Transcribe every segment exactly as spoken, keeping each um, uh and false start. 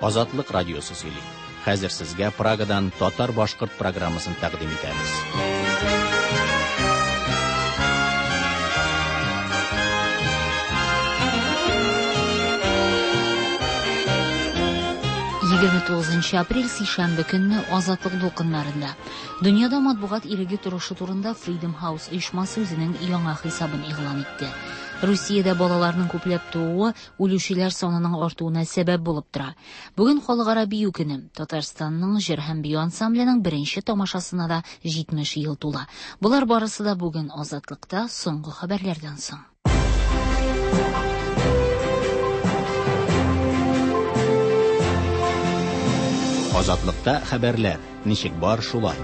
Азатлык радиосы сөйли. Хәзер сезгә Прагадан татар-башкорт программасын тәкъдим итәбез. Егерме тугызынчы апрель сишәмбе көнне Азатлык дулкыннарында. Дөньяда матбугат иреге торышы турында Freedom House оешмасы үзенең яңа хисабын игълан итте. Русиядә балаларның күпләп тууы үлүчеләр санының артуына сәбәп булып тора. Бүген Халыкара бию көне. Татарстанның җыр һәм бию ансамбленең беренче тамашасына да җитмеш ел тула. Болар барысы да бүген Азатлыкта соңгы хәбәрләрдән соң. Азатлыкта хәбәрләр ничек бар шулай.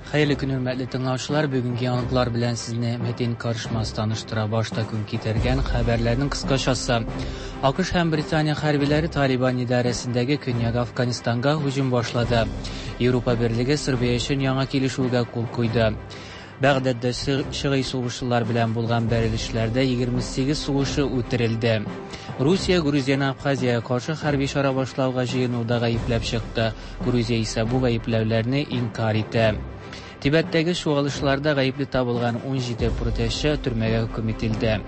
Хәерле көн, хөрмәтле тыңлаучылар. Бүгенге яңалыклар белән сезне Метин Карышмас таныштыра. Башта көн китергән хәбәрләрнең кыскачасы. АКШ һәм Британия хәрбиләре Талибан идарәсендәге Көньяк Афганистанга һөҗүм башлады. Европа Берлеге Сербия өчен яңа килешүгә кул куйды. Бәгъдәддә шигый сугышчылар белән булган бәрелешләрдә егерме сигез сугышчы үтерелде. Русия Грузияне Абхазиягә каршы хәрби чара башлауга җыенуда гаепләп чыкты. Грузия исә бу гаепләүләрне инкар итә. Тибеттәге чуалышларда гаепле табылган ун җиде протестчы төрмәгә хөкем ителде.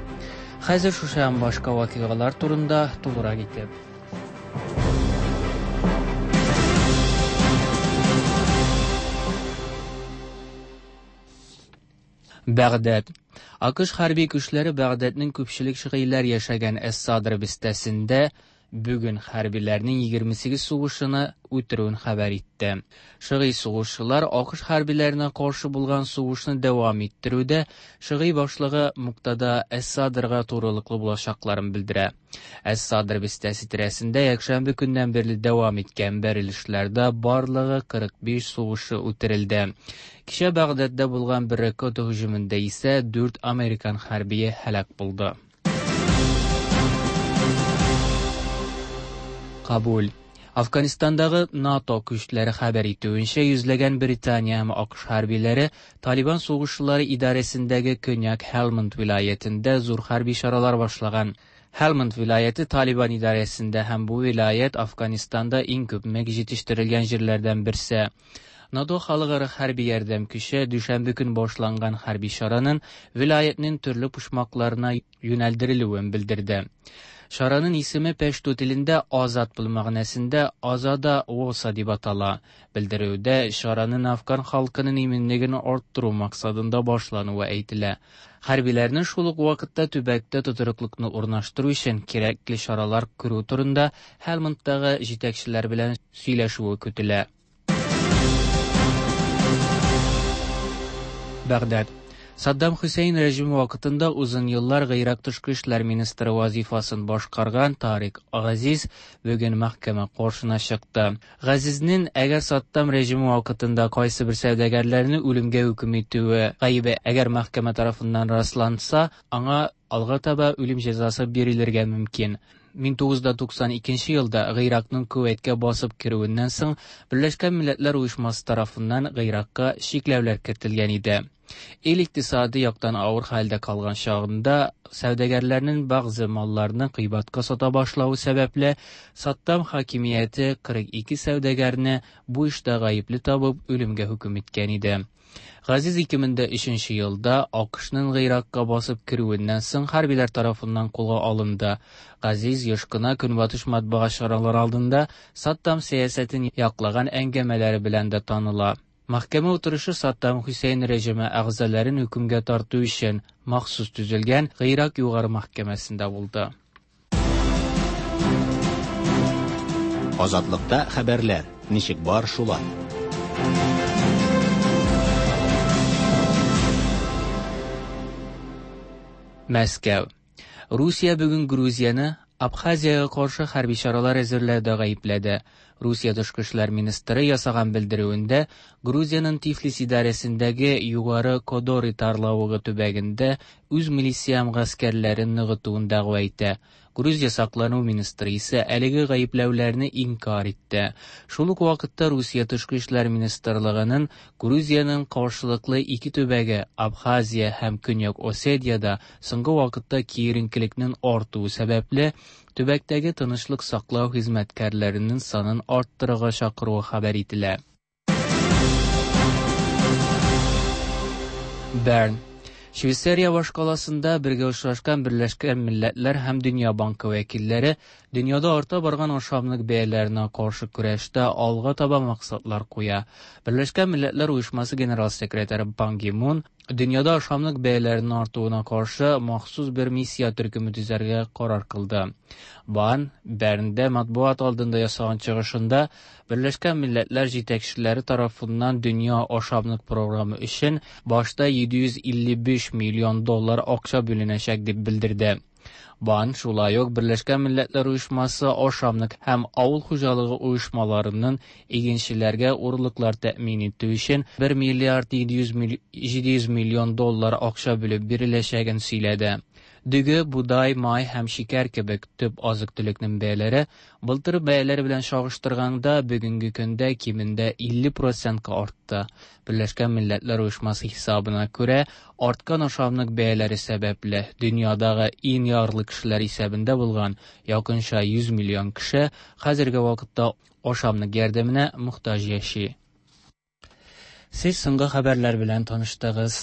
Хәзер шушы һәм башка вакыйгалар турында тулырак итеп. Бәгъдәд. АКШ хәрби көчләре Бәгъдәднең күпчелек шигыйләр яшәгән Әс-Садр бистәсендә бүген хәрбиләрнең егерме сигез сугышчыны үтерүен хәбәр итте. Шигый сугышчылар АКШ хәрбиләренә каршы булган сугышны дәвам иттерүдә шигый башлыгы Муктада Әс-Садрга турылыклы булачакларын белдерә. Әс-Садр бистәсе тирәсендә якшәмбе көннән бирле дәвам иткән бәрелешләрдә барлыгы кырык биш сугышчы үтерелде. Кичә Бәгъдәддә булган бер ракета һөҗүмендә исә дүрт американ хәрбие һәлак булды. Кабул. Афганистандагы НАТО көчләре хәбәр итүенчә, йөзләгән Британия һәм АКШ хәрбиләре Талибан сугышчылары идарәсендәге Көньяк Һелманд вилаятендә зур хәрби чаралар башлаган. Һелманд вилаяте Талибан идарәсендә һәм бу вилаят Афганистанда иң күп мек җитештерелгән җирләрдән берсе. НАТО халыкара хәрби ярдәм көче дүшәмбе көн башланган хәрби чараның вилаятның төрле почмакларына юнәлдерелүен белдерде. Чараның исеме пәшту телендә азат бул мәгънәсендә Азада Воса дип атала. Белдерүдә чараның афган халкының иминлеген арттыру максатында башлануы әйтелә. Хәрбиләрнең шул ук вакытта төбәктә тотрыклыкны урнаштыру өчен кирәкле чаралар күрү турында Һелмандтагы җитәкчеләр белән сөйләшүе көтелә. Бәгъдәд. Саддам Хусейн режимы вакытында узын еллар Гыйрак тышкы эшләр министры вазифасын башкарган Тарик Газиз бүген мәхкәмә каршына чыкты. Газизнең әгәр Саддам режимы вакытында кайсы бер сәүдәгәрләрне үлемгә хөкем итүе гаебе әгәр мәхкәмә тарафыннан расланса, аңа алга таба үлем җәзасы бирелергә мөмкин. Мең тугыз йөз туксан икенче елда Гыйракның Кувәйткә басып керүеннән соң Берләшкән Милләтләр Оешмасы тарафыннан Гыйракка чикләүләр кертелгән иде. Ил икътисады яктан авыр хәлдә калган чагында сәүдәгәрләрнең бәгъзе малларны кыйбатка сата башлавы сәбәпле Саддам хакимияте кырык ике сәүдәгәрне бу эштә гаепле табып үлемгә хөкем иткән иде. Газиз ике мең дә өченче елда АКШның Гыйракка басып керүеннән соң хәрбиләр тарафыннан кулга алынды. Газиз еш кына Көнбатыш матбугат чаралары алдында Саддам сәясәтен яклаган әңгәмәләре белән дә таныла. Мәхкәмә утырышы Саддам Хусейн режимы әгъзаларын хөкемгә тарту өчен махсус төзелгән Гыйрак югары мәхкәмәсендә булды. Азатлыкта хәбәрләр ничек бар шулай. Мәскәү. Русия бүген Грузияне Абхазиягә каршы хәрби чаралар әзерләүдә гаепләде. Русия тышкы эшләр министры ясаган белдерүендә Грузиянең Тифлис идарәсендәге Югары Кодори тарлавыгы төбәгендә үз милиция гаскәрләрен ныгытуын дәгъва итә. Грузия саклану министры исә әлеге гаепләүләрне инкар итте. Шул ук вакытта Русия тышкы эшләр министрлыгының Грузиянең каршылыклы ике төбәге Абхазия һәм Көньяк Осетиядә соңгы вакытта киеренкелекнең артуы сәбәпле төбәктәге тынычлык саклау хезмәткәрләренең санын арттырырга чакыруы хәбәр ителә. Берн. Швейцария башкаласында бергә очрашкан Берләшкән Милләтләр һәм Дөнья банкы вәкилләре дөньяда арта барган ашамлык бәяләренә каршы көрәштә алга таба максатлар куя. Берләшкән Милләтләр Оешмасы генерал секретаре Пан Ги Мун дөньяда ашамлык бәяләренең артуына каршы махсус бер миссия төркеме төзәргә карар кылды. Бан Бернда матбугат алдында ясаган чыгышында Берләшкән Милләтләр җитәкчеләре тарафыннан дөнья ашамлык програмы өчен башта җиде йөз илле биш миллион доллар акча бүленәчәк дип белдерде. Бан шулай ук Берләшкән Милләтләр Оешмасы ашамлык һәм авыл хуҗалыгы оешмаларының игенчеләргә урлыклар тәэмин итү өчен бер миллиард җиде йөз миллион доллар акча бүлеп биреләчәген сөйләде. Дөге, будай, май һәм шикәр кебек төп азык-төлекнең бәяләре былтыр бәяләре белән чагыштырганда бүгенге көндә кимендә илле процентка артты. Берләшкән Милләтләр Оешмасы хисабына күрә, арткан ашамлык бәяләре сәбәпле дөньядагы иң ярлы кешеләр исәбендә булган якынча йөз миллион кеше хәзерге вакытта ашамлык ярдәменә мохтаҗ яши. Сез соңгы хәбәрләр белән таныштыгыз.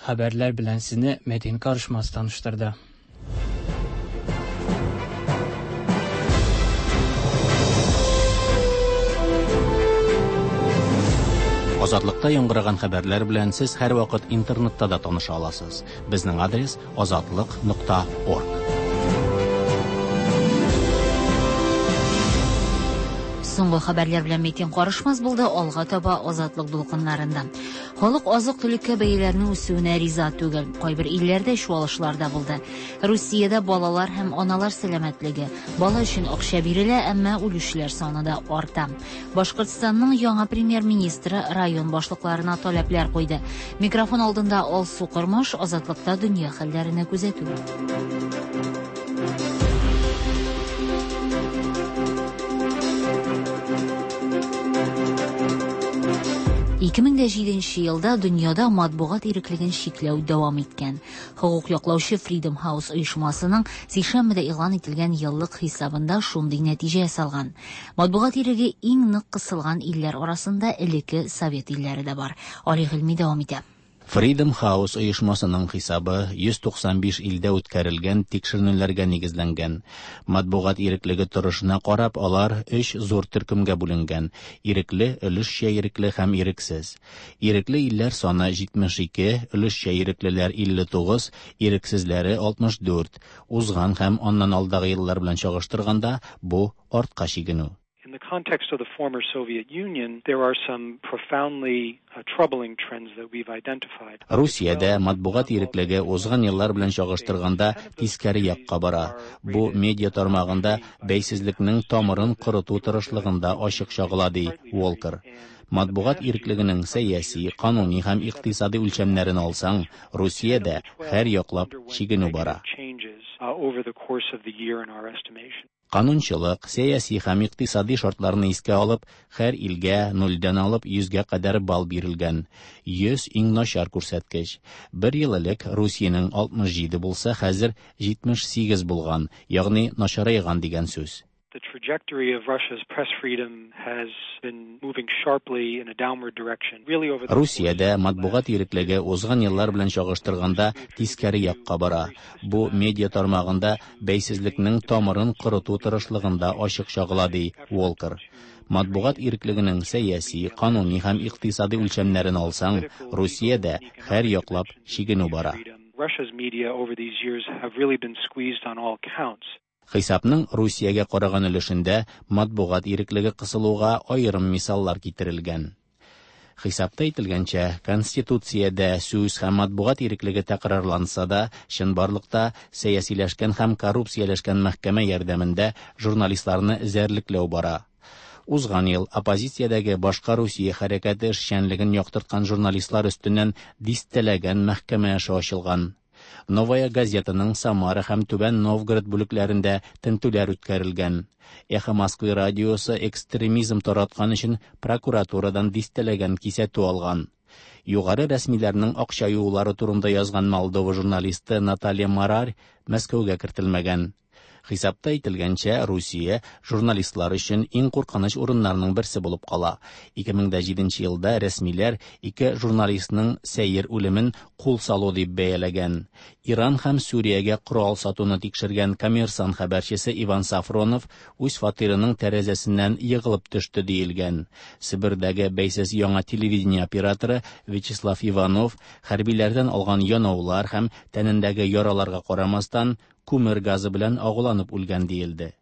Хәбәрләр белән сезне Мәдин Карышмас таныштырды. Азатлыкта яңгыраган хәбәрләр белән сез һәрвакыт интернетта да таныша аласыз. Безнең адрес азатлык нокта орг. Соңгы хәбәрләр белән Митин Карышмас булды, алга таба Азатлык дулкыннарында. Халык азык-төлеккә бәяләрнең үсүенә риза түгел. Кайбер илләрдә чуалышлар да булды. Русиядә балалар һәм аналар сәламәтлеге. Бала өчен акча бирелә, әмма үлүчеләр саны да арта. Башкортстанның яңа премьер-министры район башлыкларына таләпләр куйды. Микрофон алдында Алсу Кормаш, Азатлыкта дөнья хәлләренә күзәтү. Ике мең дә җиденче елда дөньяда матбугат иреклеген чикләү дәвам иткән. Хокук яклаучы Freedom House оешмасының сишәмбедә игълан ителгән еллык хисабында шундый нәтиҗә ясалган. Матбугат иреге иң нык кысылган илләр арасында элекке Совет илләре дә бар. Али Гыйльми дәвам итә. Freedom House оешмасының хисабы йөз туксан биш илдә үткәрелгән тикшеренүләргә нигезләнгән. Матбугат иреклеге торышына карап, алар өч зур төркемгә бүленгән: ирекле, өлешчә ирекле һәм ирексез. Ирекле илләр саны җитмеш ике, өлешчә иреклеләр илле тугыз, ирексезләре алтмыш дүрт. Узган һәм аннан алдагы еллар белән чагыштырганда бу артка чигенү. In the context of the former Soviet Union, there are some profoundly uh, troubling trends that we've identified. Русиядә матбугат иреклеге узган еллар белән чагыштырганда тискәре якка бара. Бу медиа тармагында бәйсезлекнең тамырын корыту тырышлыгында ачык чагыла, ди Уолкер. Матбугат иреклегенең сәяси, кануни һәм икътисади үлчәмнәрен алсаң, Русиядә һәр яклап чигенү бара. Канунчылык, сәяси һәм икътисади шартларны искә алып, һәр илгә нульдән алып йөзгә кадәр балл бирелгән. Йөз иң начар күрсәткеч. Бер ел элек Русиянең алтмыш җиде булса, хәзер җитмеш сигез булган, ягъни начарайган дигән сүз. The trajectory of Russia's press freedom has been moving sharply in a downward direction. Really over the Русиядә матбугат иреклеге узган еллар белән чагыштырганда тискәре якка бара. Бу медиа тармагында бәйсезлекнең тамырын корыту тырышлыгында ачык чагыла, ди Уолкер. Матбугат иреклегенең сәяси, кануни һәм икътисади үлчәмнәрен алсаң, Русиядә һәр яклап чигенү бара. Russia's media over these years have really been squeezed on all counts. Хисапның Русиягә караган өлешендә матбугат иреклеге кысылуга аерым мисаллар китерелгән. Хисапта әйтелгәнчә, Конституциядә сүз һәм матбугат иреклеге тәкрарланса да, чынбарлыкта сәясиләшкән һәм коррупцияләшкән мәхкәмә ярдәмендә журналистларны эзәрлекләү бара. Узган ел оппозициядәге башка Русия хәрәкәте эшчәнлеген яктырткан журналистлар өстеннән дистәләгән мәхкәмә эше ачылган. Новая газетаның Самара һәм Түбән Новгород бүлекләрендә тентүләр үткәрелгән. Эхо Москвы радиосы экстремизм тараткан өчен прокуратурадан дистәләгән кисәтү алган. Югары рәсмиләрнең акча юулары турында язган Молдова журналисты Наталья Марарь Мәскәүгә кертелмәгән. Хисапта әйтелгәнчә, Русия журналистлар өчен иң куркыныч урыннарның берсе булып кала. ике мең дә җиденче елда рәсмиләр ике журналистның сәер үлемен кул салу дип бәяләгән. Иран һәм Сүриягә корал сатуны тикшергән Коммерсант хәбәрчесе Иван Сафронов үз фатирының тәрәзәсеннән егылып төште диелгән. Себердәге бәйсез яңа телевидение операторы Вячеслав Иванов хәрбиләрдән алган янаулар һәм тәнендәге яраларга карамастан күмер газы белән агуланып үлгән диелде.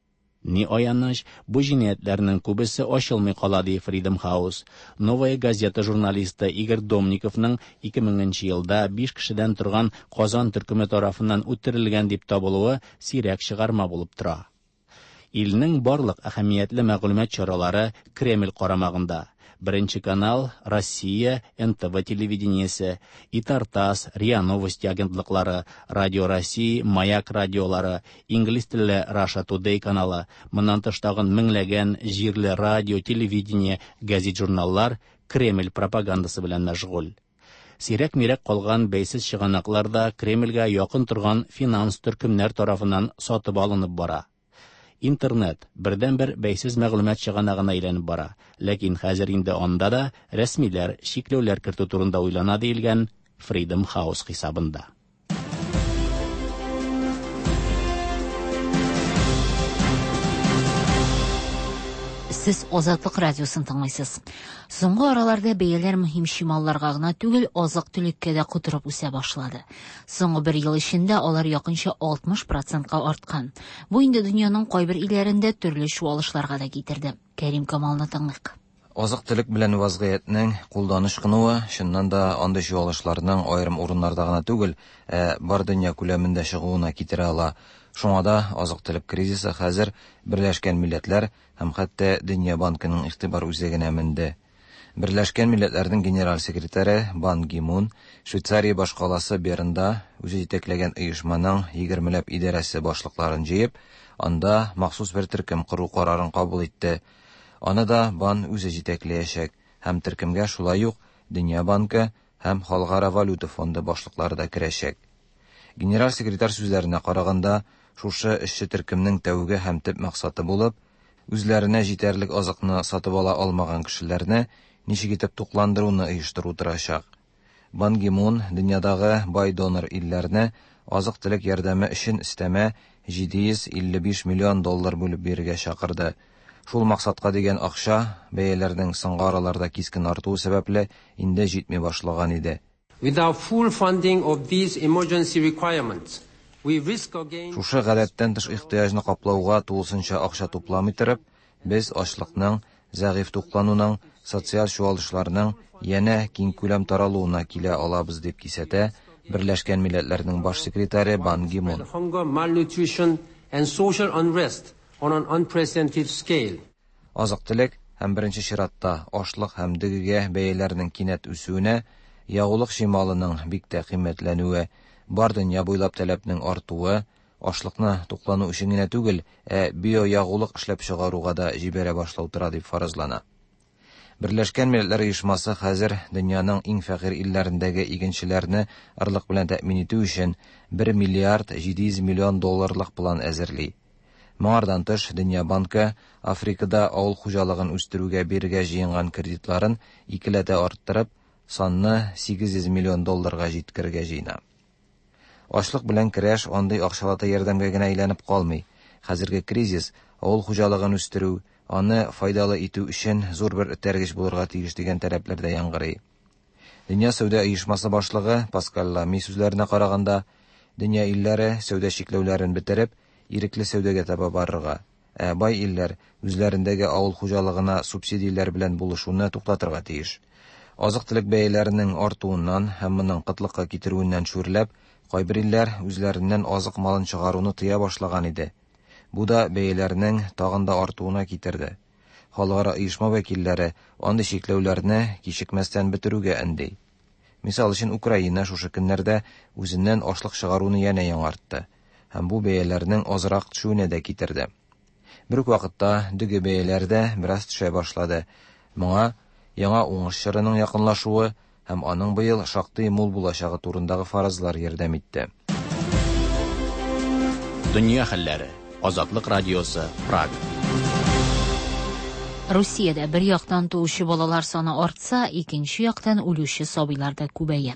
Ни аяныч, бу җинаятьләрнең күбесе ачылмый кала, ди Freedom House. Новая газета журналисты Игорь Домниковның ике меңенче елда биш кешедән торган Казан төркеме тарафыннан үтерелгән дип табылуы сирәк чыгарма булып тора. Илнең барлык әһәмиятле мәгълүмат чаралары Кремль карамагында. Беренче канал, Россия, эн тэ вэ телевидениесе, Итартас, РИА Новости агентлыклары, Радио России, Маяк радиолары, инглиз телле Russia Today каналы, моннан тыш тагын меңләгән җирле радио, телевидение, газет-журналлар Кремль пропагандасы белән мәшгуль. Сирәк-мирәк калган бәйсез чыганаклар да Кремльгә якын торган финанс төркемнәр тарафыннан сатып алынып бара. Интернет бердәнбер бәйсез мәгълүмат чыганагына әйләнеп бара. Ләкин хәзер инде анда да рәсмиләр чикләүләр кертү турында уйлана диелгән Freedom House хисабында. Сез Азатлык радиосын тыңлыйсыз. Соңгы араларда бәяләр мөһим чималларга гына түгел, азык-төлеккә дә котырып үсә башлады. Соңгы бер ел эчендә алар якынча алтмыш процентка арткан. Бу инде дөньяның кайбер илләрендә төрле чуалышларга да китерде. Кәрим Камалны тыңлыйк. Азык-төлек белән вазгыятьнең кулдан ычкынуы, чыннан да андый чуалышларның аерым урыннарда гына түгел, ә бар дөнья күләмендә чыгуына китерә ала. Шуңа да азык-төлек кризисы хәзер Берләшкән Милләтләр һәм хәтта Дөнья банкының игътибар үзәгенә менде. Берләшкән Милләтләрнең генераль секретаре Бан Ги Мун Швейцария башкаласы Бернда үзе җитәкләгән оешманың егермеләп идарәсе башлыкларын җыеп, анда махсус бер төркем кору карарын кабул итте. Аны да Бан үзе җитәкләячәк һәм төркемгә шулай ук Дөнья банкы һәм Халыкара валюта фонды башлыклары да керәчәк. Генераль секретарь сүзләренә караганда, шушы эшче төркемнең тәүге һәм төп максаты булып, үзләренә җитәрлек азыкны сатып ала алмаган кешеләрне ничек итеп тукландыруны оештыру торачак. Бан Ги Мун дөньядагы бай донор илләрне азык-төлек ярдәме өчен өстәмә җиде йөз илле биш миллион доллар бүлеп бирергә чакырды. Шул максатка дигән акча бәяләрнең соңгы араларда кискен артуы сәбәпле инде җитми башлаган иде. Without full funding of these emergency requirements, we risk again Шушы гадәттән тыш ихтыяҗны каплауга тулысынча акча тупламый торып, без ачлыкның, зәгыйфь туклануның, социаль чуалышларның янә киң күләм таралуына килә алабыз дип кисәтә Берләшкән Милләтләрнең баш секретаре Бан Ги Мун. Hunger, malnutrition and social unrest on an unprecedented scale. Азык-төлек һәм беренче чиратта ашлык һәм дөгегә бәяләрнең кинәт үсүенә, ягулык чималының бик тә кыйммәтләнүе, бар дөнья буйлап таләпнең артуы, ашлыкны туклану өчен генә түгел, ә биоягулык эшләп чыгаруга да җибәрә башлау тора дип фаразлана. Берләшкән Милләтләр Оешмасы хәзер дөньяның иң фәкыйрь илләрендәге игенчеләрне арлык белән тәэмин итү өчен бер миллиард җиде йөз миллион долларлык план әзерли. Моңардан тыш, Дөнья банкы Африкада авыл хуҗалыгын үстерүгә бирергә җыенган кредитларын икеләтә арттырып, санны сигез йөз миллион долларга җиткерергә җыена. Ачлык белән көрәш андый акчалата ярдәмгә генә әйләнеп калмый. Хәзерге кризис авыл хуҗалыгын үстерү, аны файдалы итү өчен зур бер этәргеч булырга тиеш дигән таләпләр дә яңгырый. Дөнья сәүдә оешмасы башлыгы Паскаль Лами сүзләренә караганда, дөнья илләре сәүдә чикләүләрен бетереп, ирекле сәүдәгә таба барырга, ә бай илләр үзләрендәге авыл хуҗалыгына субсидияләр белән булышуны туктатырга тиеш. Азык-төлек бәяләренең артуыннан һәм моның кытлыкка китерүеннән шүрләп, кайбер илләр үзләреннән азык малын чыгаруны тыя башлаган иде. Бу да бәяләрнең тагын да артуына китерде. Халыкара оешма вәкилләре андый чикләүләрне кичекмәстән бетерүгә өнди. Мисал өчен, Украина шушы көннәрдә үзеннән ашлык чыгаруны янә яңартты һәм бу бәяләрнең азрак төшүенә дә китерде. Бер үк вакытта дөге бәяләре дә бераз төшә башлады. Моңа яңа уңыш чорының якынлашуы һәм аның быел шактый мул булачагы турындагы фаразлар ярдәм итте. Дөнья хәлләре. Азатлык радиосы, Прага. Русиядә бер яктан туучы балалар саны артса, икенче яктан үлүче сабыйлар да күбәя.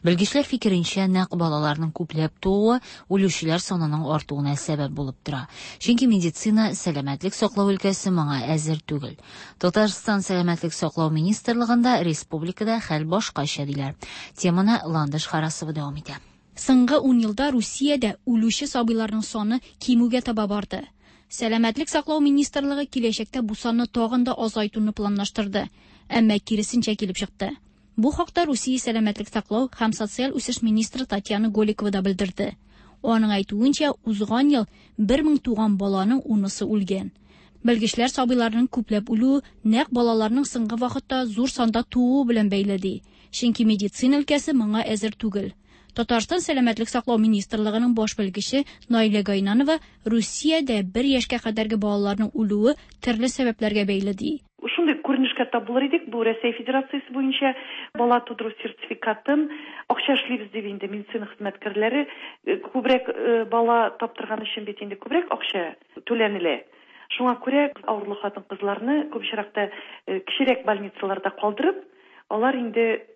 Белгечләр фикеренчә, нәкъ балаларның күпләп тууы үлүчеләр санының артуына сәбәп булып тора. Чөнки медицина, сәламәтлек саклау өлкәсе моңа әзер түгел. Татарстан сәламәтлек саклау министрлыгында республикада хәл башкача диләр. Теманы Ландыш Харасова дәвам итә. Соңгы ун елда Русиядә үлүче сабыйларның саны кимүгә таба барды. Сәламәтлек саклау министрлыгы киләчәктә бу санны тагын да азайтуны планлаштырды, әмма киресенчә килеп чыкты. Бу хакта Русия сәламәтлек саклау һәм социаль үсеш министры Татьяна Голикова да белдерде. Аның әйтүенчә, узган ел бер мең туган баланың унысы үлгән. Белгечләр сабыйларның күпләп үлүе нәкъ балаларның соңгы вакытта зур санда тууы белән бәйле ди. Чөнки медицина өлкәсе моңа әзер түгел. Татарстан сәламәтлек саклау министрлыгының баш белгече Наилә Гайнанова Русиядә бер яшькә кадәрге балаларның үлүе төрле сәбәпләргә бәйле ди. Шундый күренешкә тап булыр идек, бу Рәсәй Федерациясе буенча бала тудыру сертификатын акча эшлибез дип инде медицина хезмәткәрләре күбрәк бала таптырган өчен бит инде күбрәк акча түләнелә. Шуңа күрә авырлы хатын-кызларны күп очракта кечерәк больницаларда калдырып, алар инде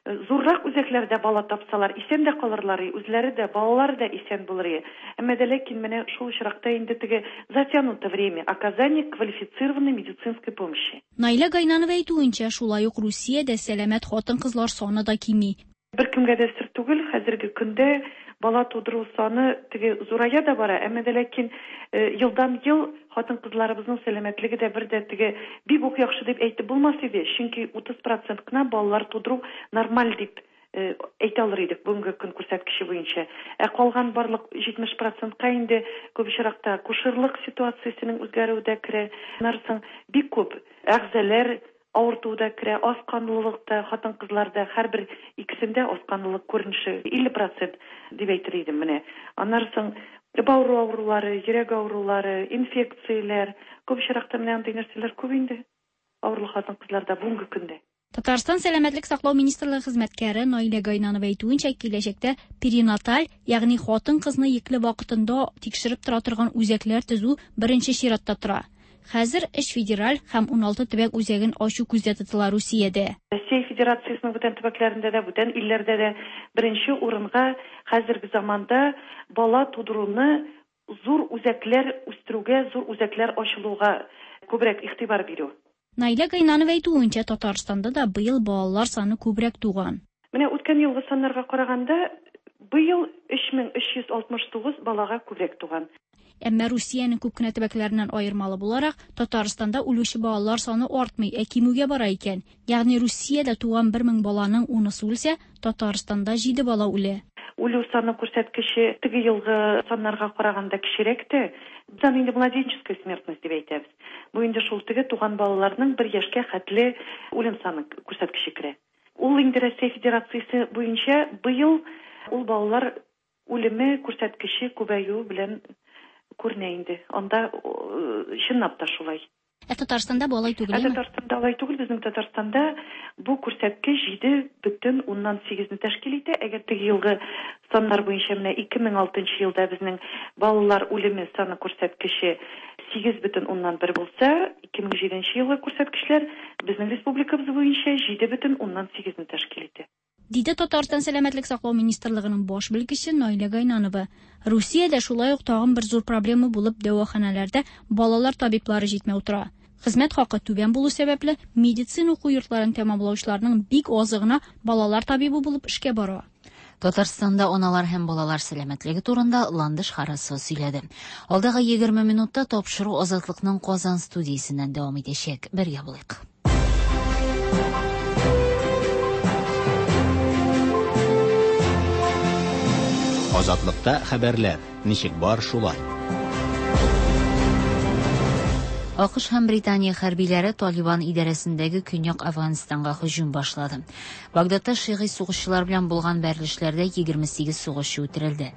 зуррак үзәкләрдә бала тапсалар, исән дә калырлар, үзләре дә, балалары да исән булыр. Әмма дә ләкин менә шул очракта инде теге затянуто время оказания квалифицированной медицинской помощи. Наилә Гайнанова әйтүенчә, шулай ук Русиядә сәламәт хатын-кызлар саны да кими. Бер кемгә дә сер түгел, хәзерге көндә бала тудыру саны теге зурая да бара, әмма дә ләкин елдан ел хатын-кызларыбызның сәламәтлеге дә бер дә теге бик үк яхшы дип әйтеп булмас иде, чөнки утыз процент кына балалар тудыру нормаль дип әйтә алыр идек бүгенге көн күрсәткече буенча. Ә калган барлык җитмеш процентка инде күп очракта акушерлык ситуациясенең үзгәрүе дә керә. Аннан бик күп әгъзалар авырту да керә, аз канлылык та, хатын-кызларда һәрбер икесендә аз канлылык күренеше илле процент дип әйтер идем менә. Аннан соң бавыр авырулары, йөрәк авырулары, инфекцияләр, күп очракта менә андый нәрсәләр күп инде авырлы хатын-кызларда бүгенге көндә. Татарстан сәламәтлек саклау министрлыгы хезмәткәре Наилә Гайнанова әйтүенчә, киләчәктә перинаталь, ягъни хатын-кызны йөкле вакытында тикшереп тора торган үзәкләр төзү беренче чиратта тора. Хәзер өч федераль һәм уналты төбәк үзәген ачу күздә тотыла Русиядә. Россия Федерациясенең бүтән төбәкләрендә дә, бүтән илләрдә дә беренче урынга хәзерге заманда бала тудыруны зур үзәкләр үстерүгә, зур үзәкләр ачылуга күбрәк игътибар бирү. Наилә Гайнанова әйтүенчә, Татарстанда да быел балалар саны күбрәк туган. Менә үткән елгы саннарга караганда, быел өч мең өч йөз алтмыш тугыз балага күбрәк туган. Әмма Русиянең күп кенә төбәкләреннән аермалы буларак, Татарстанда үлүче балалар саны артмый, ә кимүгә бара икән. Ягъни Русиядә туган бер мең баланың унысы үлсә, Татарстанда җиде бала үлә. Үлү саны күрсәткече теге елгы саннарга караганда кечерәк тә. Без аны инде младенческая смертность дип әйтәбез. Бу инде шул теге туган балаларның бер яшькә хәтле үлем саны күрсәткече керә. Ул инде Россия Федерациясе буенча быел ул балалар үлеме күрсәткече күбәюе белән күренә инде. Анда чынлап та шулай. Ә Татарстанда бу алай түгел, Ә Татарстанда алай түгел. Безнең Татарстанда бу күрсәткеч җиде бөтен уннан сигезне тәшкил итә. Әгәр теге елгы саннар буенча менә ике мең алтынчы елда безнең балалар үлеме саны күрсәткече сигез бөтен уннан бер булса, ике мең җиденче елгы күрсәткечләр безнең республикабыз буенча җиде бөтен уннан сигезне тәшкил итә. Диде Татарстан сәламәтлек саклау министрлыгының баш белгече Наилә Гайнанова. Русиядә шулай ук тагын бер зур проблема булып дәваханәләрдә балалар табиблары җитмәү тора. Хезмәт хакы түбән булу сәбәпле медицина уку йортларын тәмамлаучыларның бик азы гына балалар табибы булып эшкә бара. Татарстанда аналар һәм балалар сәламәтлеге турында Ландыш Харасова сөйләде. Алдагы егерме минутта тапшыру Азатлыкның Казан студиясеннән дәвам итәчәк. Бергә булыйк. Азатлыкта хәбәрләр ничек бар шулай. АКШ һәм Британия хәрбиләре Талибан идарәсендәге Көньяк Әфганстанга һөҗүм башлады. Багдадта шигый сугышчылар белән булган бәрелешләрдә егерме сигез сугышчы үтерелде.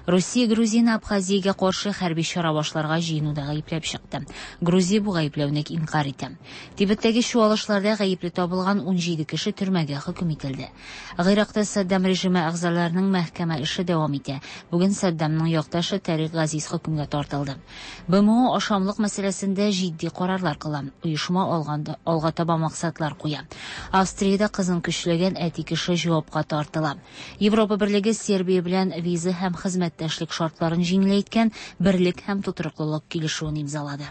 Русия Грузияне Абхазиягә каршы хәрби чара башларга җыенуда гаепләп чыкты. Грузия бу гаепләүне инкарь итә. Тибеттәге чуалышларда гаепле табылган ун җиде кеше төрмәгә хөкем ителде. Гыйракта Саддам режимы әгъзаларының мәхкәмә эше дәвам итә. Бүген Саддамның якташы Тарик Газиз хөкемгә тартылды. БМО ашамлык мәсьәләсендә җитди карарлар кыла. Оешма алганда алга таба максатлар куя. Австриядә кызын көчләгән әти кеше җавапка тартыла. Европа Берлеге Сербия белән виза һәм хезмәттәшлек шартларын җиңеләйткән берлек һәм тотрыклылык килешүен имзалады.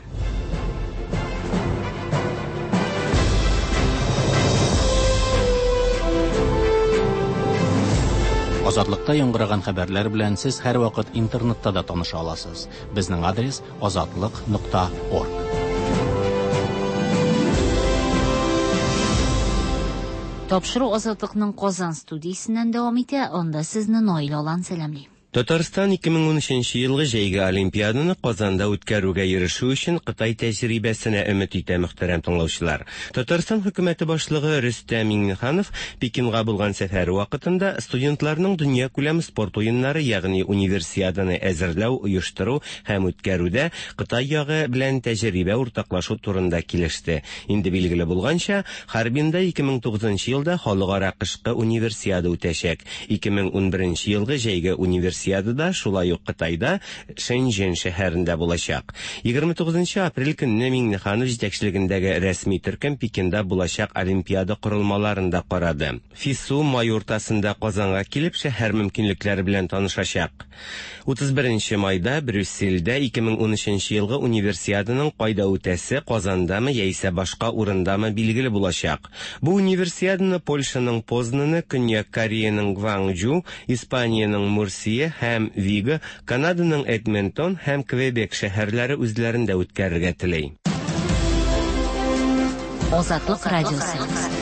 Азатлыкта яңгыраган хәбәрләр белән сез һәрвакыт интернетта да таныша аласыз. Безнең адрес азатлык нокта орг. Тапшыру Азатлыкның Казан студиясеннән дәвам итә. Анда сезне Наил Алан сәламли. Татарстан ике мең унөченче елгы җәйге Олимпиаданы Казанда үткәрүгә ирешү өчен Кытай тәҗрибәсенә өмет итә, мөхтәрәм тыңлаучылар. Татарстан хөкүмәте башлыгы Рөстәм Миңнеханов Пекинга булган сәфәре вакытында студентларның дөнья күләм спорт уеннары, ягъни универсиаданы әзерләү, оештыру һәм үткәрүдә Кытай ягы белән тәҗрибә уртаклашу турында килеште. Инде билгеле булганча, Харбинда ике мең тугызынчы елда халыкара кышкы универсиада үтәчәк. Ике мең унберенче елгы җәйге универсиада да шулай ук Кытайда Шэньчжэн шәһәрендә булачак. Егерме тугызынчы апрель көнне Миңнеханов җитәкчелегендәге рәсми төркем Пекинда булачак Олимпиада корылмаларын да карады. ФИСУ май уртасында Казанга килеп шәһәр мөмкинлекләре белән танышачак. Утыз беренче майда Брюссельдә ике мең унөченче елгы универсиаданың кайда үтәсе, Казандамы яисә башка урындамы билгеле булачак. Бу универсиаданы Польшаның Познаны, Көньяк Кореяның Гванчжу, Испаниянең Мурсия һәм Виго, Канаданың Эдмонтон һәм Квебек шәһәрләре үзләрендә үткәрергә тели. Азатлык радиосы.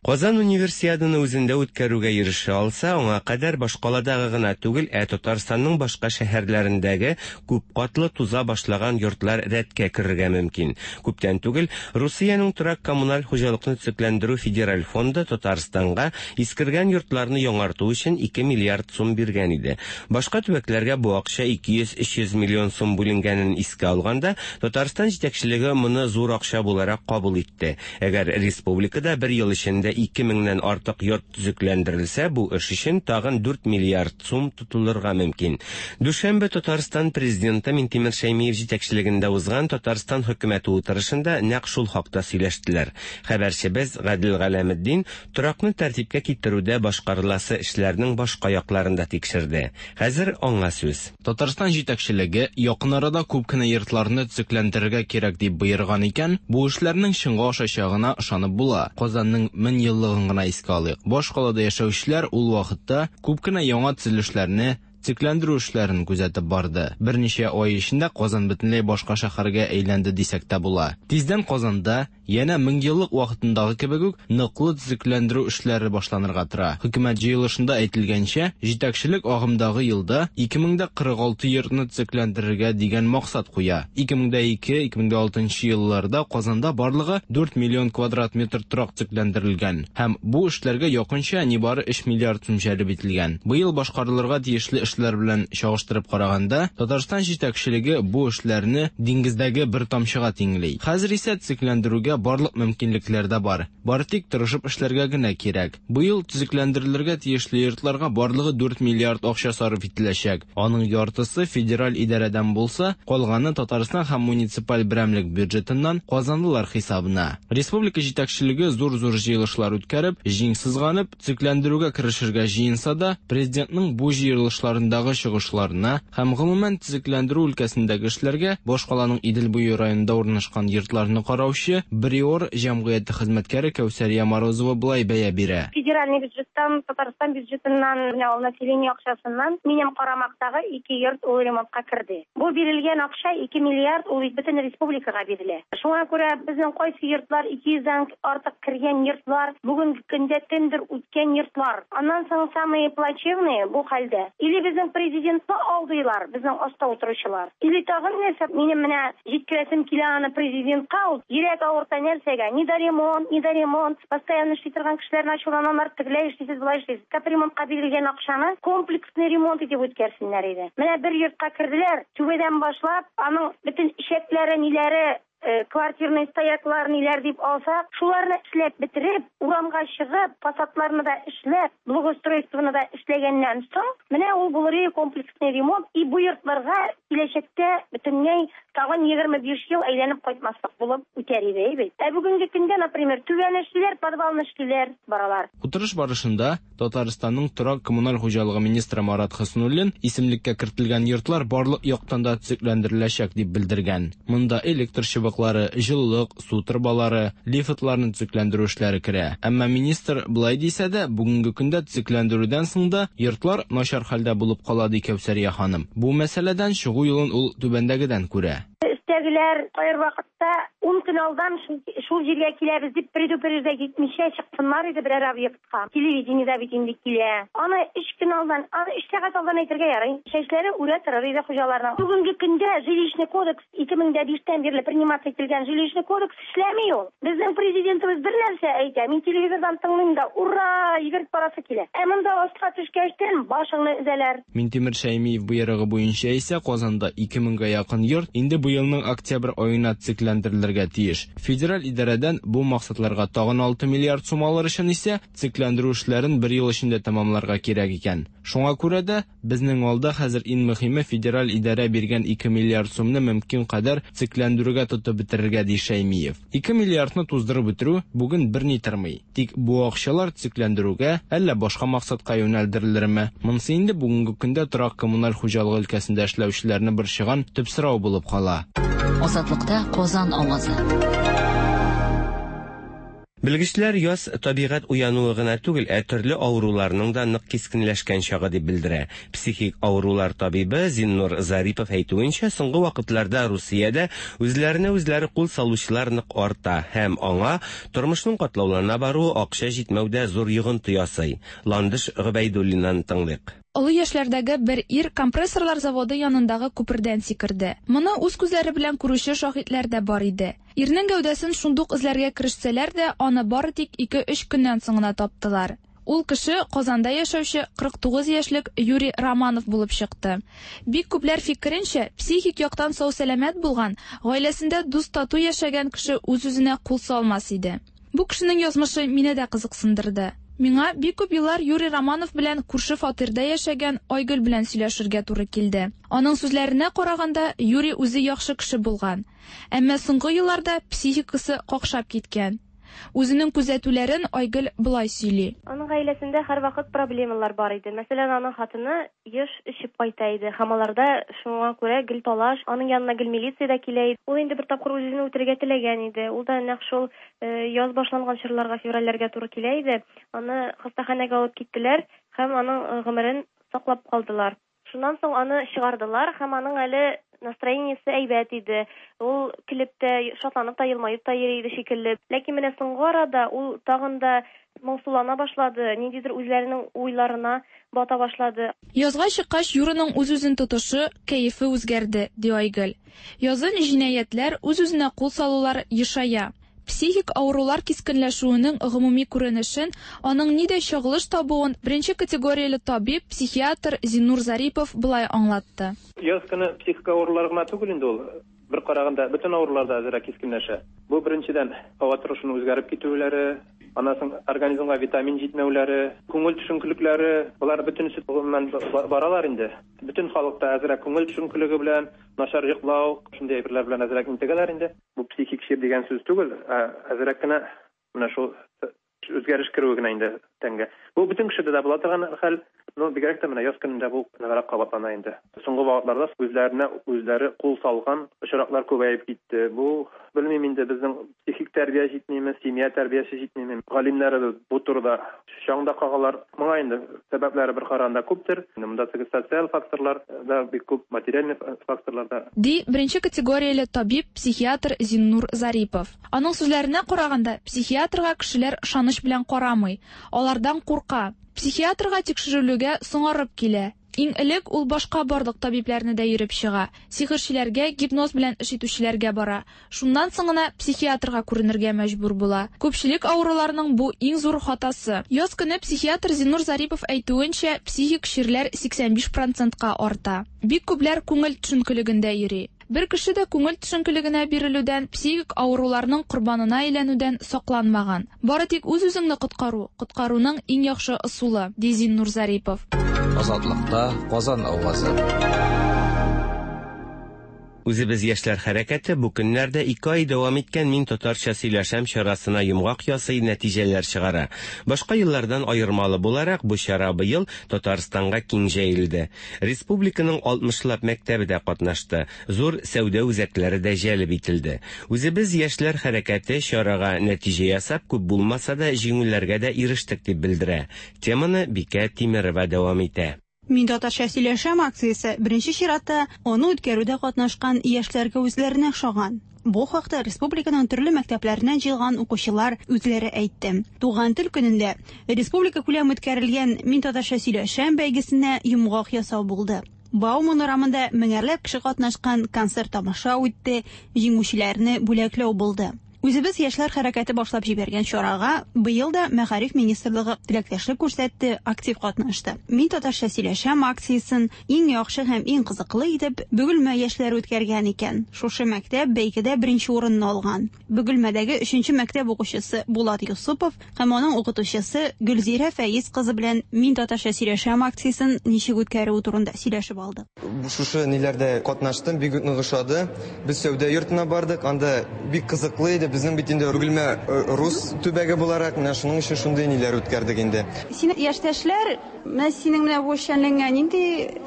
Казан универсиаданы үзендә үткәрүгә ирешә алса, аңа кадәр башкаладагы гына түгел, ә Татарстанның башка шәһәрләрендәге күп катлы туза башлаган йортлар рәткә керергә мөмкин. Күптән түгел Русиянең торак коммуналь хуҗалыкны төзекләндерү федераль фонды Татарстанга искергән йортларны яңарту өчен ике миллиард сум биргән иде. Башка төбәкләргә бу акча ике йөз өч йөз миллион сум бүленгәнен искә алганда, Татарстан җитәкчелеге моны зур акча буларак кабул итте. Әгәр республикада бер ел эчендә ике меңнән артык йорт төзекләндерелсә, бу эш өчен тагын дүрт миллиард сум тотылырга мөмкин. Дүшәмбе Татарстан президенты Минтимер Шәймиев җитәкчелегендә узган Татарстан хөкүмәте утырышында нәкъ шул хакта сөйләштеләр. Хәбәрчебез Гадел Галәметдин торакны тәртипкә китерүдә башкарыласы эшләрнең башка якларын да тикшерде. Хәзер аңа сүз. Татарстан җитәкчелеге якын арада күп кенә йортларны төзекләндерергә кирәк дип боерган икән, бу эшләрнең чынга ашачагына ышанып була. Казанның мең еллыгын гына искә алыйк. Башкалада яшәүчеләр ул вакытта күп кенә яңа төзелешләрне, төзекләндерү эшләрен күзәтеп барды. Берничә ай эчендә Казан бөтенләй башка шәһәргә әйләнде дисәк тә була. Тиздән Казанда янә мең еллык вакытындагы кебек үк ныклы төзекләндерү эшләре башланырга тора. Хөкүмәт җыелышында әйтелгәнчә, җитәкчелек агымдагы елда ике мең дә кырык алты йортны төзекләндерергә дигән максат куя. Ике мең дә ике, ике мең дә алтынчы елларда Казанда барлыгы дүрт миллион квадрат метр торак төзекләндерелгән һәм бу эшләргә якынча нибары өч миллиард сум җәлеп ителгән. Быел башкарылырга тиешле эшләр белән чагыштырып караганда, Татарстан җитәкчелеге бу эшләрне диңгездәге бер тамчыга тиңли. Хәзер исә төзекләндерүгә барлык мөмкинлекләр дә бар. Бары тик тырышып эшләргә генә кирәк. Быел төзекләндерелергә тиешле йортларга барлыгы дүрт миллиард акча сарыф ителәчәк. Аның яртысы федераль идарәдән булса, калганы Татарстан һәм муниципаль берәмлек бюджетыннан казанлылар хисабына. Республика җитәкчелеге зур-зур җыелышлар үткәреп, җиң сызганып, төзекләндерүгә керешергә җыенса да, президентның бу җыелышларындагы чыгышларына һәм гомумән төзекләндерү өлкәсендәге эшләргә башкаланың Идел буе районында урнашкан йортларны караучы Бриор җәмгыяте хезмәткәре Кәүсәрия Морозова былай бәя бирә. Федеральный бюджеттан, Татарстан бюджетыннан, менә ул население акчасыннан минем карамактагы ике йорт ул ремонтка керде. Бу бирелгән акча ике миллиард ул бөтен республикага бирелә. Шуңа күрә безнең кайсы йортлар ике йөздән артык кергән йортлар, бүгенге көндә тендер үткән йортлар. Аннан соң самые плачевные бу хәлдә. Или безгә безнең президентны алдыйлар, безнең аста утыручылар. Или тагын нәрсә, минем менә җиткерәсем килә аны президентка, ул йөрәк авырта нәрсәгә? Ни да ремонт, ни да ремонт. Постоянно эшли торган кешеләрне ачуланалар, тегеләй эшлисез, болай эшлисез. Капремонтка бирелгән акчаны комплексный ремонт итеп үткәрсеннәр иде. Менә бер йортка керделәр, түбәдән башлап, аның бөтен ишәкләре, ниләре, квартирный стояклар ниләр дип алсак, шуларны эшләп бетереп, урамга чыгып, фасадларны да эшләп, благоустройствоны да эшләгәннән соң, менә ул булыр комплексный ремонт, и бу йортларга киләчәктә бөтенләй тагын егерме биш ел әйләнеп кайтмаслык булып үтәр иде бит. Ә бүгенге көндә, например, түбәне эшлиләр, подвалны эшлиләр, баралар. Утырыш барышында Татарстанның торак коммуналь хуҗалыгы министры Марат Хөснуллин исемлеккә кертелгән йортлар барлык яктан да төзекләндереләчәк дип белдергән. Монда электр чыбыклары, җылылык, су торбалары, лифтларны төзекләндерү эшләре керә. Әмма министр былай дисә дә, бүгенге көндә төзекләндерүдән соң да йортлар начар хәлдә булып кала, ди Кәүсәрия ханым. Бу мәсьәләдән чыгу юлын ул түбәндәгедән күрә. Өстәгеләр кайбер вакытта ун көн алдан шул җиргә киләбез дип предупреждать итмичә чыксыннар иде берәр объектка. Телевидениедә бит инде килә. Аны өч көн алдан, аны өч сәгать алдан әйтергә ярый. Чәчләре үрә торыр иде хуҗаларның. Бүгенге көндә жилищный кодекс ике мең дә биштән бирле приниматься ителгән жилищный кодекс эшләми ул. Безнең президентыбыз бер нәрсә әйтә. Мин телевизордан тыңлыйм да, ура, йөгереп барасы килә. Ә монда астка төшкәчтән башыңны өзәләр. Минтимер Шәймиев боерыгы буенча исә Казанда ике меңгә якын йорт инде быелның октябрь аена төзекләндерелергә тиеш. Федераль идарәдән бу максатларга тагын алты миллиард сум алыр өчен исә төзекләндерү эшләрен бер ел эчендә тәмамларга кирәк икән. Шуңа күрә дә безнең алда хәзер иң мөһиме федераль идарә биргән ике миллиард сумны мөмкин кадәр төзекләндерүгә тотып бетерергә, ди Шәймиев. ике миллиардны туздырып бетерү бүген берни тормый. Тик бу акчалар төзекләндерүгә әллә башка максатка юнәлдерелерме? Монысы инде бүгенге көндә торак коммуналь хуҗалыгы өлкәсендә эшләүчеләрне борчыган төп сорау булып кала. Азатлыкта Казан авазы. Белгечләр яз табигать уянуы гына түгел, ә төрле авыруларның да нык кискенләшкән чагы дип белдерә. Психик авырулар табибы Зиннур Зарипов әйтүенчә, соңгы вакытларда Русиядә үзләренә үзләре кул салучылар нык арта һәм аңа тормышның катлаулана баруы акча җитмәүдә зур йогынты ясый. Ландыш Гобәйдуллиннан тыңлыйк. Олы яшьләрдәге бер ир компрессорлар заводы янындагы күпердән сикерде. Моны үз күзләре белән күрүче шаһитләр дә бар иде. Ирнең гәүдәсен шундук эзләргә керешсәләр дә, аны бары тик ике-өч көннән соң гына таптылар. Ул кеше Казанда яшәүче кырык тугыз яшьлек Юрий Романов булып чыкты. Бик күпләр фикеренчә, психик яктан сау-сәламәт булган, гаиләсендә дус-тату яшәгән кеше үз-үзенә кул салмас иде. Бу кешенең язмышы мине дә кызыксындырды. Миңа бик күп еллар Юрий Романов белән күрше фатирда яшәгән Айгөл белән сөйләшергә туры килде. Аның сүзләренә караганда, Юрий үзе яхшы кеше булган. Әмма соңгы елларда психикасы какшап киткән. Үзенең күзәтүләрен Айгөл болай сөйли. Аның гаиләсендә һәрвакыт проблемалар бар иде. Мәсәлән, аның хатыны еш эчеп кайта иде. Һәм аларда шуңа күрә гел талаш, аның янына гел милиция дә килә иде. Ул инде бер тапкыр үзен үтерергә теләгән иде. Ул да нәкъ шул яз башланган чорларга, февральләргә туры килә иде. Аны хастаханәгә алып киттеләр һәм аның гомерен саклап калдылар. Шуннан соң аны чыгардылар һәм аның әле настроениесе әйбәт иде. Ул килеп тә, шатланып та, елмаеп та йөри иде шикелле. Ләкин менә соңгы арада ул тагын да моңсулана башлады, ниндидер үзләренең уйларына бата башлады. Язга чыккач, Юраның үз-үзен тотышы, кәефе үзгәрде, ди Айгөл. Язын җинаятьләр, үз-үзенә кул салулар ешая. Психик авырулар кискенләшүенең гомуми күренешен, аның нидә чагылыш табуын беренче категорияле табиб, психиатр Зиннур Зарипов былай аңлатты. Яз көне психик авырулар гына түгел инде ул. Бер караганда бөтен авырулар да әзрәк кискенләшә. Бу беренчедән һава торышының үзгәреп китүләре, аннан соң организмга витамин җитмәүләре, күңел төшенкелекләре, болар бөтенесе гомумән баралар инде. Бөтен халыкта әзрәк күңел төшенкелеге белән, начар йоклау, шундый әйберләр белән әзрәк интегәләр инде. Бу психик чир дигән сүз түгел, ә әзрәк кенә менә шул үзгәреш керүе генә инде тәнгә. Бу бөтен кешедә дә була торган хәл, но бигрәк тә менә яз көнендә бу ныграк кабатлана инде. Соңгы вакытларда үзләренә үзләре кул салган очраклар күбәеп китте. Бу белмим инде, безнең психик тәрбия җитмиме, семья тәрбиясе җитмиме. Галимнәребез бу турыда чаң да кагалар. Моңа инде сәбәпләре бер караганда күптер. Монда социаль факторлар да бик күп, материаль факторлар да. Ди беренче категорияле табиб, психиатр Зиннур Зарипов. Аның сүзләренә караганда, психиатрга кешеләр ышаныч белән карамый, алардан курка. Психиатрга тикшерелүгә соңарып килә. Иң элек ул башка барлык табибләрне дә йөреп чыга. Сихерчеләргә, гипноз белән эш итүчеләргә бара. Шуннан соң гына психиатрга күренергә мәҗбүр була. Күпчелек авыруларның бу иң зур хатасы. Яз көне психиатр Зиннур Зарипов әйтүенчә, психик чирләр сиксән биш процентка арта. Бик күпләр күңел төшенкелегендә йөри. Бер кеше дә күңел төшенкелегенә бирелүдән, психик авыруларның корбанына әйләнүдән сакланмаган. Бары тик үз-үзеңне коткару, коткаруның иң яхшы ысулы, ди Зиннур Зарипов. Азатлыкта Казан авазы. Үзебез яшьләр хәрәкәте бу көннәрдә ике ай дәвам иткән Мин татарча сөйләшәм чарасына йомгак ясый, нәтиҗәләр чыгара. Башка еллардан аермалы буларак бу чара быел Татарстанга киң җәелде. Республиканың алтмышлап мәктәбе дә катнашты, зур сәүдә үзәкләре дә җәлеп ителде. Үзебез яшьләр хәрәкәте чарага нәтиҗә ясап, күп булмаса да җиңүләргә дә ирештек дип белдерә. Теманы Бикә Тимерова дәвам итә. Мин татарча сөйләшәм акциясе беренче чиратта аны үткәрүдә катнашкан яшьләргә үзләренә охшаган. Бу хакта республиканың төрле мәктәпләреннән җыелган укучылар үзләре әйтте. Туган тел көнендә республика күләм үткәрелгән Мин татарча сөйләшәм бәйгесенә йомгак ясау булды. Бауман урамында меңәрләп кеше катнашкан концерт тамаша үтте, җиңүчеләрне бүләкләү булды. Үзебез яшьләр хәрәкәте башлап җибәргән чарага быел да Мәгариф министрлыгы теләктәшлек күрсәтте, актив катнашты. Мин татарча сөйләшәм акциясен иң яхшы һәм иң кызыклы итеп Бөгелмә яшьләре үткәргән икән. Шушы мәктәп бәйгедә беренче урынны алган. Бөгелмәдәге өченче мәктәп укучысы Булат Юсупов һәм аның укытучысы Гөлзирә Фәиз кызы белән Мин татарча сөйләшәм акциясен ничек үткәрү турында сөйләшеп алдык. Шушы ниләрдә катнаштым, бик нык ошады. Без сәүдә йортына бардык, анда бик кызыклы иде. Безнең бит инде Бөгелмә рус төбәге буларак, менә шуның өчен шундый ниләр үткәрдек инде. Синең яшьтәшләр, менә синең менә бу эшчәнлегеңә нинди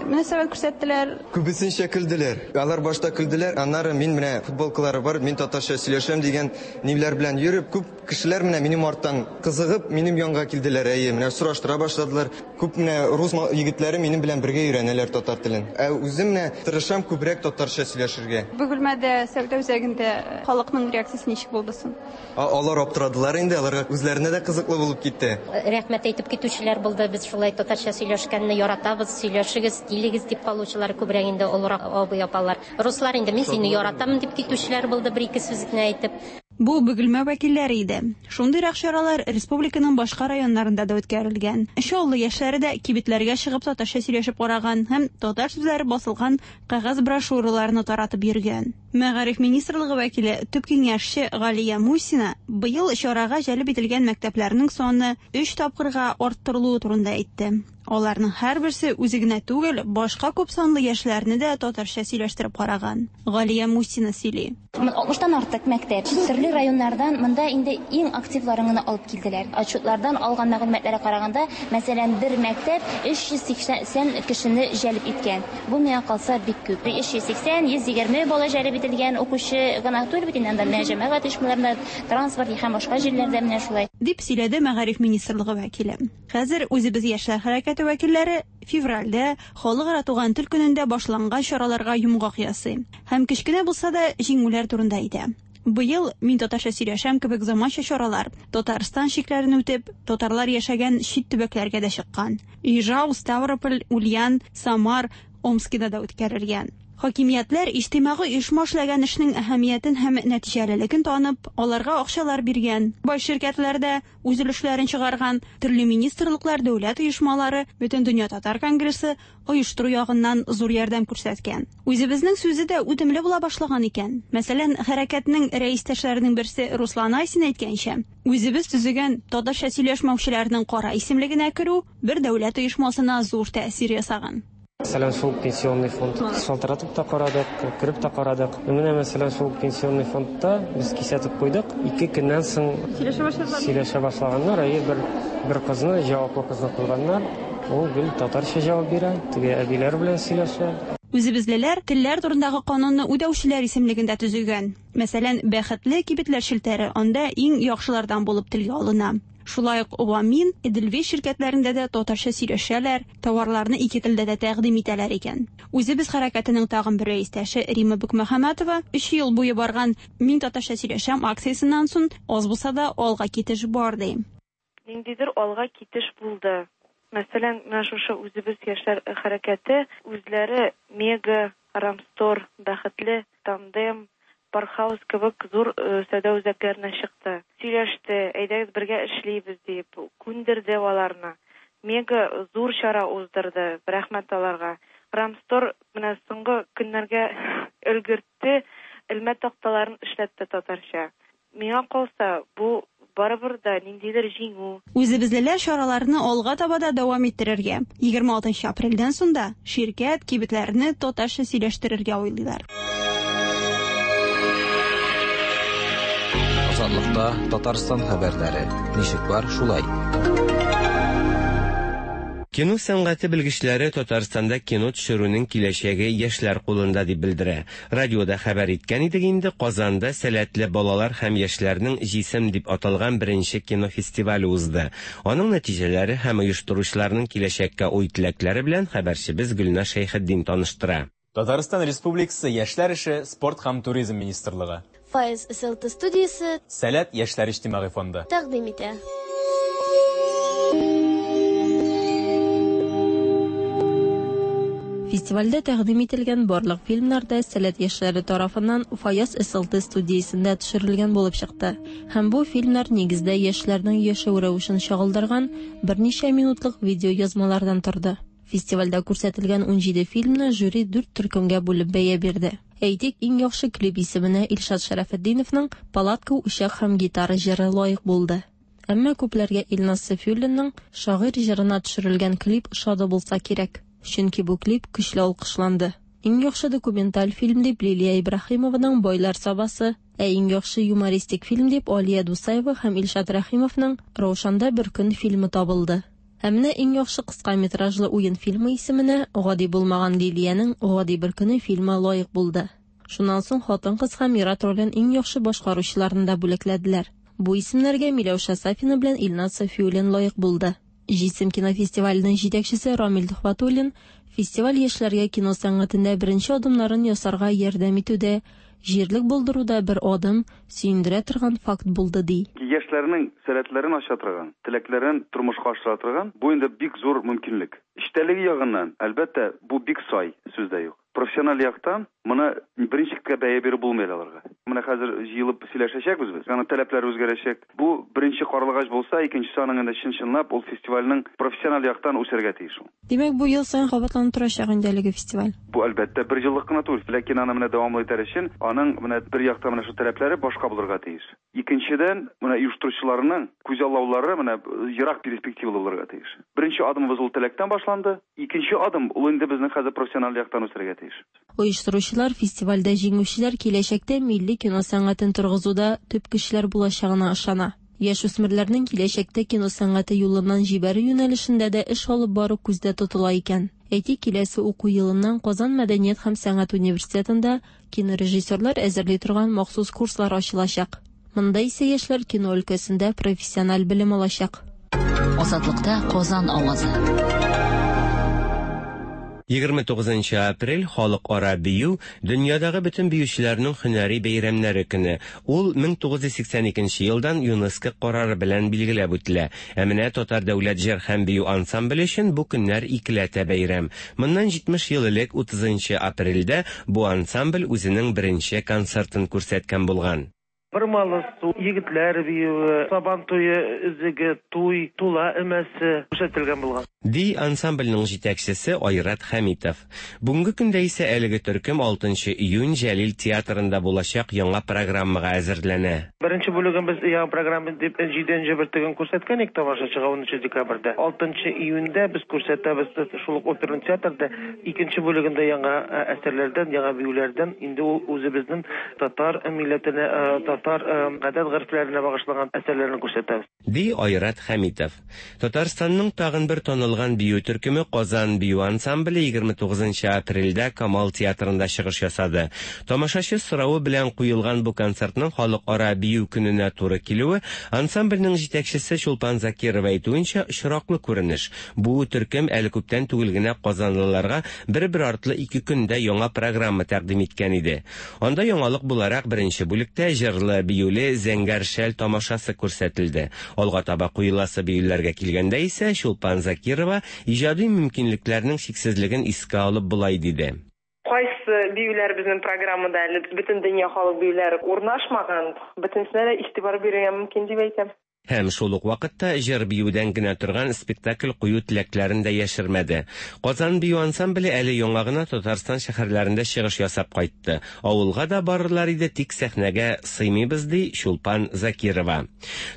мөнәсәбәт күрсәттеләр? Күбесенчә көлделәр. Алар башта көлделәр, аннары мин менә футболкалары бар, мин татарча сөйләшәм дигән ниләр белән йөреп, күп кешеләр менә минем арттан кызыгып, минем янга килделәр. Әйе, менә сораштыра башладылар. Күп менә рус егетләре минем белән бергә өйрәнәләр татар телен. Ә үзем менә тырышам күбрәк татарча сөйләшергә. Бөгелмәдә сәүдә үзәгендә халыкның реакциясе ничек булды соң? Алар аптырадылар инде, аларга үзләренә дә кызыклы булып китте. Рәхмәт әйтеп китүчеләр булды. Без шулай татарча сөйләшкәнне яратабыз, сөйләшегез, килегез дип калучылар күбрәк инде олырак абый апалар. Руслар инде мин сине яратам дип китүчеләр булды, бер ике сүз генә әйтеп. Бу Бөгелмә вәкилләре иде. Шундыйрак чаралар республиканың башка районнарында да үткәрелгән. Чаллы яшьләре дә кибетләргә чыгып татарча сөйләшеп караган һәм татар сүзләре басылган кәгазь брошюраларны таратып йөргән. Мәгариф министрлыгы вәкиле төп киңәшче Галия Мусина быел чарага җәлеп ителгән мәктәпләрнең саны өч тапкырга арттырылуы турында әйтте. Аларның һәрберсе үзе генә түгел, башка күп санлы яшьләрне дә татарча сөйләштереп караган. Галия Мусина сөйли. Алтмыштан артык мәктәп төрле районнардан монда инде иң активларын гына алып килделәр. Отчетлардан алган мәгълүматларга караганда, мәсәлән, бер мәктәп өч йөз сиксән кешене җәлеп иткән. Бу миңа калса бик күп. Өч йөз сиксән, йөз егерме бала җәлеп ителгән укучы гына түгел бит инде, анда менә җәмәгать оешмаларында, транспорт һәм башка җирләрдә менә шулай. Дип сөйләде Мәгариф министрлыгы вәкиле. Хәзер үзебез яшьләр хәрәкәте вәкилләре февральдә Халыкара туган тел көнендә башланган чараларга йомгак ясый һәм кечкенә булса да җиңүләр турында әйтә. Быел Мин татарча сөйләшәм кебек заманча чаралар Татарстан чикләрен үтеп, татарлар яшәгән чит төбәкләргә дә чыккан. Ижау, Ставрополь, Ульян, Самар, Омскида да үткәрелгән. Хакимиятләр иҗтимагый оешма эшләгән эшнең әһәмиятен һәм нәтиҗәлелеген танып, аларга акчалар биргән. Бай ширкәтләр дә үз өлешләрен чыгарган, төрле министрлыклар, дәүләт оешмалары, Бөтендөнья татар конгрессы оештыру ягыннан зур ярдәм күрсәткән. Үзебезнең сүзе дә үтемле була башлаган икән. Мәсәлән, хәрәкәтнең рәистәшләренең берсе Руслан Айсин әйткәнчә, үзебез төзегән татарча сөйләшмәүчеләрнең кара исемлегенә керү бер дәүләт оешмасына зур тәэсир ясаган. Мәсәлән, шул пенсионный фонд шалтыратып та карадык, кереп тә карадык. Менә мәсәлән, шул пенсионный фондта без кисәтеп куйдык. Ике көннән соң сөйләшә башлаганнар. Әйе, бер бер кызны, җаваплы кызны куйганнар. Ул гел татарча җавап бирә, теге әбиләр белән сөйләшә. Үзебезлеләр телләр турындагы канунны үтәүчеләр исемлегендә төзегән. Мәсәлән, Бәхетле кибетләр челтәре анда иң яхшылардан булып телгә алына. Шулай ук Вамин, Эдельвейс ширкәтләрендә дә татарча сөйләшәләр, товарларны ике телдә дә тәкъдим итәләр икән. Үзебез хәрәкәтенең тагын бер рәистәше Рима Бекмөхәммәтова өч ел буе барган Мин татарча сөйләшәм акциясеннән соң аз булса да алга китеш бар ди. Ниндидер алга китеш булды. Мәсәлән, менә шушы үзебез яшьләр хәрәкәте үзләре Мега, Рамстор, Бәхетле, Тандем, Пархаус кебек зур сәүдә үзәкләренә чыкты. Сөйләште, әйдәгез бергә эшлибез дип, күндерде аларны. Мега зур чара уздырды, рәхмәт аларга. Рамстор менә соңгы көннәргә өлгертте, элмә такталарын эшләтте татарча. Миңа калса, бу барыбер да ниндидер җиңү. Үзебезлеләр чараларны алга таба да дәвам иттерергә, егерме алтынчы апрельдән соң да ширкәт, кибетләрне татарча сөйләштерергә уйлыйлар. Азатлыкта Татарстан хәбәрләре. Ничек бар, шулай. Кино сәнгате белгечләре Татарстанда кино төшерүнең киләчәге яшьләр кулында дип белдерә. Радиода хәбәр иткән идек инде, Казанда сәләтле балалар һәм яшьләрнең Җисем дип аталган беренче кино фестивале узды. Аның нәтиҗәләре һәм оештыручыларның киләчәккә уй-теләкләре белән хәбәрчебез Гөлназ Шәйхетдин таныштыра. Татарстан Республикасы Яшьләр эше, спорт һәм туризм министрлыгы. Файз С Л Т студиясе Сәләт яшьләр иҗтимагый фонды тәкъдим итә. Фестивальдә тәкъдим ителгән барлык фильмнар да Сәләт яшьләре тарафыннан Фаяз С Л Т студиясендә төшерелгән булып чыкты. Һәм бу фильмнар нигездә яшьләрнең яшәү рәвешен чагылдырган берничә минутлык видеоязмалардан торды. Фестивальдә күрсәтелгән унҗиде фильмны жюри дүрт төркемгә бүлеп бәя бирде. Әйтик, иң яхшы клип исеменә Илшат Шәрәфетдиновның «Палатка, учак һәм гитара» җыры лаек булды. Әмма күпләргә Илназ Сафиуллинның «Шагыйрь» җырына төшерелгән клип ошады булса кирәк. Чөнки бу клип көчле алкышланды. Иң яхшы документаль фильм дип Лилия Ибраһимованың «Байлар Сабасы», ә иң яхшы юмористик фильм дип Алия Дусаева һәм Илшат Рәхимовның «Раушанда бер көн» фильмы табылды. Ә менә иң яхшы кыска метражлы уен фильмы исеменә гади булмаган Лилиянең «Гади бер көне» фильмы лаек булды. Шуннан соң хатын-кыз һәм ир-ат ролен иң яхшы башкаручыларны да бүләкләделәр. Бу исемнәргә Миләүшә Сафина белән Илназ Сафиуллин лаек булды. Җисем кинофестиваленең җитәкчесе Рамил Төхвәтуллин фестиваль яшьләргә кино сәнгатендә беренче адымнарын ясарга ярдәм итүдә, җирлек булдыруда бер адым, сөендерә торган факт булды ди. Яшьләрнең сәләтләрен ача торган, теләкләрен тормышка ашыра торган, бу инде бик зур мөмкинлек. Эчтәлеге ягыннан, әлбәттә, бу бик сай, сүз дә юк. Профессиональ яктан моны беренче бәя биреп булмый аларга. Менә хәзер җыелып сөйләшәчәкбез без. Аның таләпләре үзгәрәчәк. Бу беренче карлыгач булса, икенчесе аның инде чын-чынлап ул фестивальнең профессиональ яктан үсәргә тиеш ул. Димәк, бу ел саен кабатланып торачак инде әлеге фестиваль. Бу әлбәттә бер еллык кына түгел, ләкин аны менә дәвамлы итәр өчен аның менә бер якта менә шу таләпләре башка булырга тиеш. Икенчедән, менә оештыручыларның күзаллаулары менә ерак перспективалы булырга тиеш. Беренче адымыбыз ул теләктән башланды. Икенче адым ул инде безнең хәзер профессиональ яктан үсәргә тиеш. Оештыручылар фестивальдә җиңүчеләр киләчәктә милли кино сәнгатен торгызуда төп көчләр булачагына ышана. Яшүсмерләрнең киләчәктә кино сәнгате юлыннан җибәрү юнәлешендә дә эш алып бару күздә тотыла икән. Әйтик, киләсе уку елыннан Казан мәдәният һәм сәнгать университетында кинорежиссерлар әзерли торган махсус курслар ачылачак. Монда исә яшьләр кино өлкәсендә профессиональ белем алачак. Азатлыкта Казан авазы. егерме тугызынчы апрель халыкара бию, дөньядагы бөтен биючеләрнең һөнәри бәйрәмнәре көне. Ул мең тугыз йөз сиксән икенче елдан ЮНЕСКО карары белән билгеләп үтелә. Ә менә Татар дәүләт җыр һәм бию ансамбле өчен бу көннәр икеләтә бәйрәм. Моннан җитмеш ел элек утызынчы апрельдә бу ансамбль үзенең беренче концертын күрсәткән булган. Бормалы су, егетләр биюе, Сабан туе өзеге, туй, тула өмәсе күрсәтелгән булган. Ди ансамбльнең җитәкчесе Айрат Хәмитов. Бүгенге көндә исә әлеге төркем алтынчы июнь Җәлил театрында булачак яңа программага әзерләнә. Беренче бүлеген без яңа программа дип җиденче бөртеген күрсәткән идек тамашачыга унынчы декабрьдә. алтынчы июньдә без күрсәтәбез шул ук оперный театрда икенче бүлегендә яңа әсәрләрдән, яңа биюләрдән, инде ул үзебезнең татар милләтенә, татар гадәт-горефләренә багышланган әсәрләрне күрсәтәбез. Ди Айрат Хәмитов. Татарстанның тагын бер танылган бию төркеме Казан бию ансамбле егерме тугызынчы апрельдә Камал театрында чыгыш ясады. Тамашачы соравы белән куелган бу концертның халыкара бию көненә туры килүе, ансамбльнең җитәкчесе Чулпан Закирова әйтүенчә, очраклы күренеш. Бу төркем әле күптән түгел генә казанлыларга бер-бер артлы ике көндә яңа программа тәкъдим иткән иде. Анда яңалык буларак беренче бүлектә җырлы Җырлы-биюле Зәңгәр шәл тамашасы күрсәтелде. Алга таба куеласы биюләргә килгәндә исә Чулпан Закирова иҗади мөмкинлекләрнең чиксезлеген искә алып болай диде. Кайсы биюләр безнең программада әле бөтен дөнья халык биюләре урнашмаган, бөтенесенә дә игътибар бирергә мөмкин дип әйтәм. Һәм шул ук вакытта җыр-биюдән генә торган спектакль кую теләкләрен дә яшермәде. Казан бию ансамбле әле яңа гына Татарстан шәһәрләрендә чыгыш ясап кайтты. Авылга да барырлар иде, тик сәхнәгә сыймыйбыз, ди Чулпан Закирова.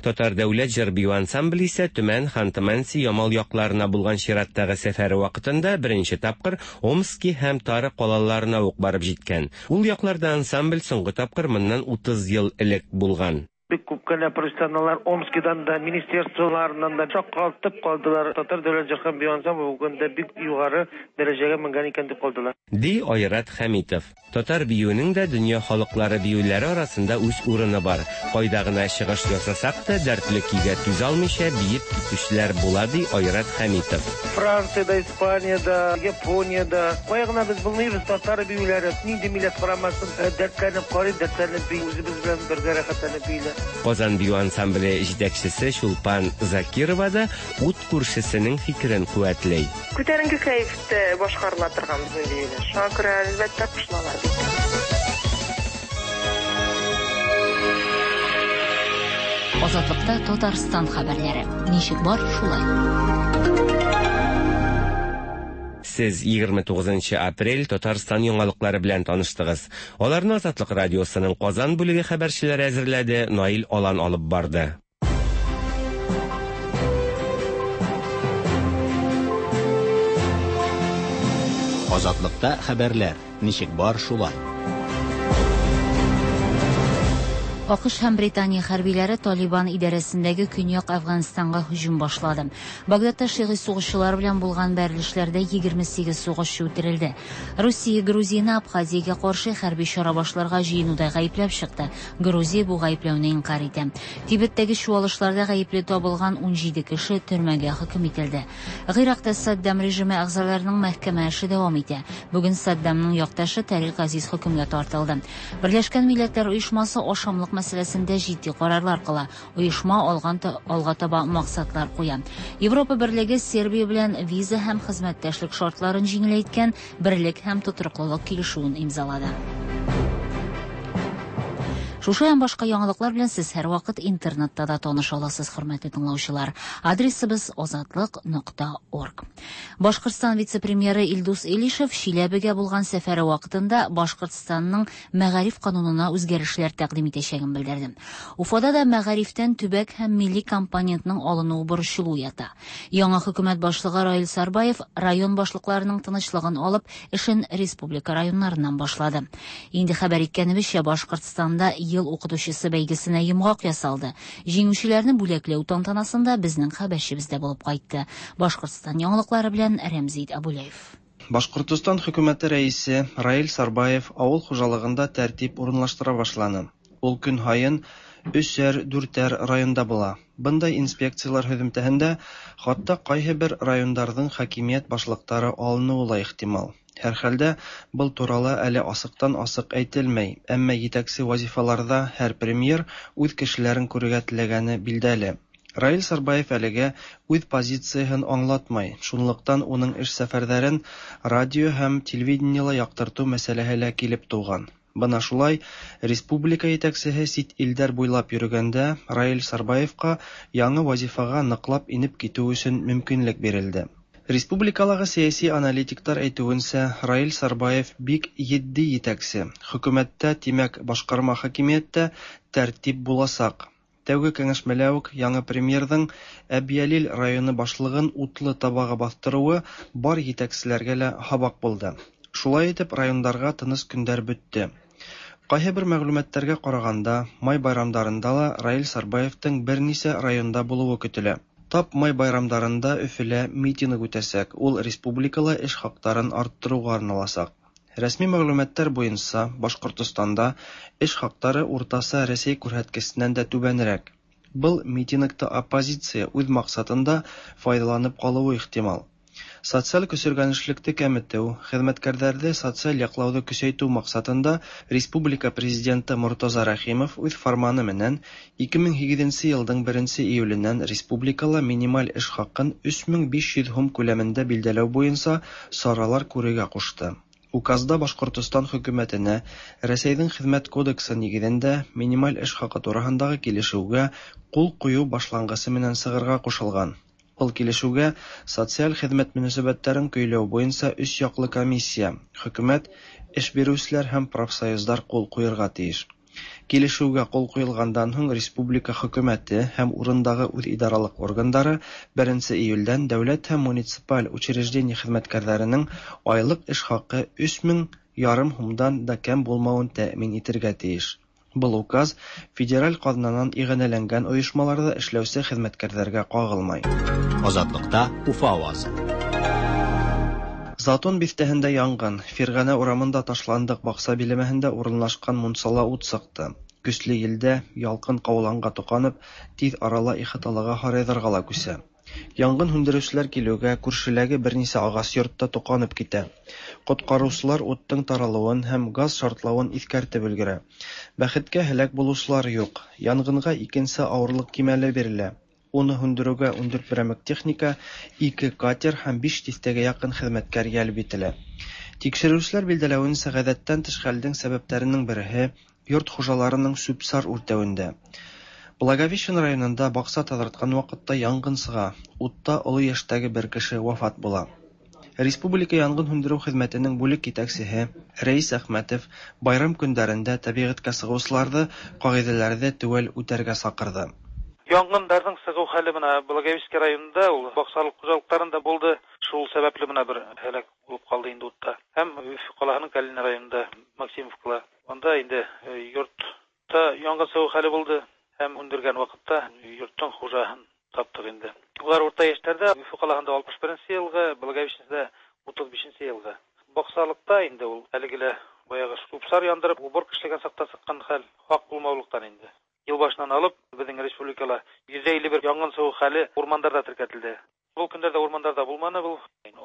Татар дәүләт җыр-бию ансамбле исә Төмән, Ханты-Манси, Ямал якларына булган чираттагы сәфәре вакытында беренче тапкыр Омски һәм Тары калаларына ук барып җиткән. Ул якларда ансамбль соңгы тапкыр моннан утыз ел элек булган. Бик күп кенә профессионаллар Омскидан да, министерстволарыннан да шаккатып калдылар. Татар дәүләт җыр һәм бию ансамбле бүген дә бик югары дәрәҗәгә менгән икән дип калдылар. Ди Айрат Хәмитов. Татар биюенең дә дөнья халыклары биюләре арасында үз урыны бар. Кайда гына чыгыш ясасак та, дәртле көйгә түзә алмыйча биеп китүчеләр була, ди Айрат Хәмитов. Франциядә, Испаниядә, Япониядә кая гына без булмыйбыз, татар биюләре нинди милләт карамасын, дәртләнеп карый, дәртләнеп бии, үзебез белән бергә рәхәтләнеп бииләр. Казан бию ансамбле җитәкчесе Чулпан Закирова да ут күршесенең фикерен куәтләй. Күтәренке кәефтә башкарыла торган безнең биюләр. Шуңа күрә әлбәттә кушылалар бит. Азатлыкта Татарстан хәбәрләре. Ничек бар, шулай. Сез егерме тугызынчы апрель Татарстан яңалыклары белән таныштыгыз. Аларны Азатлык радиосының Казан бүлеге хәбәрчеләре әзерләде, Наил Алан алып барды. Азатлыкта хәбәрләр. Ничек бар, шулай. АКШ һәм Британия хәрбиләре Талибан идарәсендәге Көньяк Әфганстанга һөҗүм башлады. Багдадта шигый сугышчылар белән булган бәрелешләрдә егерме сигез сугышчы үтерелде. Русия Грузияне Абхазиягә каршы хәрби чара башларга җыенуда гаепләп чыкты. Грузия бу гаепләүне инкар итә. Тибеттәге чуалышларда гаепле табылган ун җиде кеше төрмәгә хөкем ителде. Гыйракта Саддам режимы әгъзаларының мәхкәмә эше дәвам итә. Бүген Саддамның якташы Тарик Азиз хөкемгә тартылды. Берләшкән Милләтләр Оешмасы ашамлык мәсьәләсендә җитди карарлар кыла. Оешма алган алга таба максатлар куя. Европа Берлеге Сербия белән виза һәм хезмәттәшлек шартларын җиңеләйткән берлек һәм тотрыклылык килешүен имзалады. Шушы һәм башка яңалыклар белән сез һәрвакыт интернетта да таныша аласыз, хөрмәтле тыңлаучылар. Адресыбыз азатлык нокта орг. Башкортстан вице-премьеры Илдус Илишев Чиләбегә булган сәфәре вакытында Башкортстанның мәгариф канунына үзгәрешләр тәкъдим итәчәген белдерде. Уфада да мәгарифтән төбәк һәм милли компонентның алынуы борчылу уята. Яңа хөкүмәт башлыгы Раил Сарбаев район башлыкларының тынычлыгын алып, эшен республика районнарыннан башлады. Инде хәбәр иткәнебезчә, Башкортстанда ел укытучысы бәйгесенә йомгак ясалды. Җиңүчеләрне бүләкләү тантанасында безнең хәбәрчебез дә булып кайтты. Башкортстан яңалыклары белән Рәмзит Абулаев. Башкортостан хөкүмәте рәисе Раил Сарбаев авыл хуҗалыгында тәртип урынлаштыра башланы. Ул көн һайын өсәр, дүртәр районда була. Бындай инспекциялар һөҙөмтәһендә хатта ҡайһы бер райондарҙың хакимиәт башлыҡтары алыныуы ла ихтимал. Һәр хәлдә был турала әле асыҡтан асыҡ әйтелмәй, әммә етәксе вазифаларҙа һәр премьер үҙ кешеләрен күрергә теләгәне билдәле. Раил Сарбаев әлегә үҙ позицияһын аңлатмай, шунлыҡтан уның эш сәфәрҙәрен радио һәм телевидениела яҡтыртыу мәсьәләһе лә килеп тыуған. Бына шулай, республика етәксеһе сит илдәр буйлап йөрөгәндә Раил Сарбаевҡа яңы вазифаға ныҡлап инеп китеү өсөн мөмкинлек бирелде. Республикалағы сәйәси аналитиктар әйтеүенсә, Раил Сарбаев бик етди етәксе. Хөкүмәттә, тимәк, башҡарма хакимиәттә тәртип буласаҡ. Тәүге кәңәшмәлә үк яңы премьерҙың Әбйәлил районы башлығын утлы табаға баҫтырыуы бар етәкселәргә лә һабаҡ булды. Шулай итеп, райондарға тыныс көндәр бөттө. Ҡайһы бер мәғлүмәттәргә ҡарағанда, май байрамдарында ла Раил Сарбаевтың бер нисә районда булыуы көтөлә. Тап май байрамдарында Өфөлә митинг үтәсәк, ул республикала эш хаҡтарын арттырыуға арналасаҡ. Рәсми мәғлүмәттәр буйынса, Башҡортостанда эш хаҡтары уртаса Рәсәй күрһәткесенән дә түбәнерәк. Был митингты оппозиция үҙ маҡсатында файҙаланып ҡалыуы ихтимал. Социаль көсөргәнешлекте кәметеү, хеҙмәткәрҙәрҙе социаль яҡлауҙы көсәйтеү маҡсатында республика президенты Мортаза Рәхимов үҙ фарманы менән ике мең һигеҙенсе йылдың беренсе июленән республикала минималь эш хаҡын өс мең биш йөҙ һум күләмендә билдәләү буйынса саралар күрергә ҡушты. Указда Башҡортостан хөкүмәтенә Рәсәйҙең хеҙмәт кодексы нигеҙендә минималь эш хаҡы тураһындағы килешеүгә ҡул ҡуйыу башланғысы менән сығырға ҡушылған. Был килешеүгә социаль хеҙмәт мөнәсәбәттәрен көйләү буйынса өс яҡлы комиссия, хөкүмәт, эш биреүселәр һәм профсоюздар ҡул ҡуйырға тейеш. Килешеүгә ҡул ҡуйылғандан һуң республика хөкүмәте һәм урындағы үҙ идаралыҡ органдары беренсе июлдән дәүләт һәм муниципаль учреждение хеҙмәткәрҙәренең айлыҡ эш хаҡы өс мең ярым һумдан да кәм булмауын тәьмин итергә тейеш. Был указ федераль ҡаҙнанан иғәнәләнгән ойошмаларҙа эшләүсе хеҙмәткәрҙәргә ҡағылмай. Азатлыҡта Уфа ауазы. Затон биҫтәһендә янғын, Фирғәнә урамында ташландыҡ баҡса биләмәһендә урынлашҡан мунсала ут сыҡты. Көслө елдә ялҡын ҡауланға тоҡанып, тиҙ арала ихаталағы һарайҙарға ла күсә. Яңғын һүндереүселәр килеүгә күршеләге бер нисә ағас йортта тоҡанып китә. Ҡотҡарыусылар уттың таралыуын һәм газ шартлауын иҫкәртеп өлгөрә. Бәхеткә һәләк булыусылар юҡ. Янғынға икенсе ауырлыҡ кимәле бирелә. Уны һүндереүгә ун дүрт берәмек техника, ике катер һәм биш тиҫтәгә яҡын хеҙмәткәр йәлеп ителә. Тикшереүселәр билдәләүенсә, ғәҙәттән тыш хәлдең сәбәптәренең береһе йорт хужаларының сүп-сар үртәүендә. Благовещен районында баҡса таҙартҡан ваҡытта янғын сыға, утта оло йәштәге бер кеше вафат була. Республика янғын һүндереү хеҙмәтенең бүлек етәксеһе Рәис Әхмәтов байрам көндәрендә тәбиғәткә сығыусыларҙы ҡағиҙәләрҙе теүәл үтәргә саҡырҙы. Янгындарҙың сығыу хәле бына Благовещенский районында ул баҡсалыҡ хужалыҡтарында булды. Шул сәбәпле бына бер һәләк булып ҡалды инде утта. Һәм Өфө ҡалаһының Калинин районында Максимовкала. Унда инде йортта янгын сығыу хәле булды. Һәм һүндергән ваҡытта йорттоң хужаһын таптыҡ инде. Улар урта йәштәрҙә, Өфө ҡалаһында алтмыш беренсе йылғы, Благовещенскийҙа утыҙ бишенсе йылғы. Баҡсалыҡта инде ул әлеге лә баяғы сүп-сар яндырып, уборка эшләгән саҡта сыҡҡан хәл хаҡ булмаулыҡтан инде. Йыл башынан алып беҙҙең республикала йөҙ илле бер янгын сығыу хәле урмандарҙа теркәтелде. Был көндәрҙә урмандарҙа булманы был.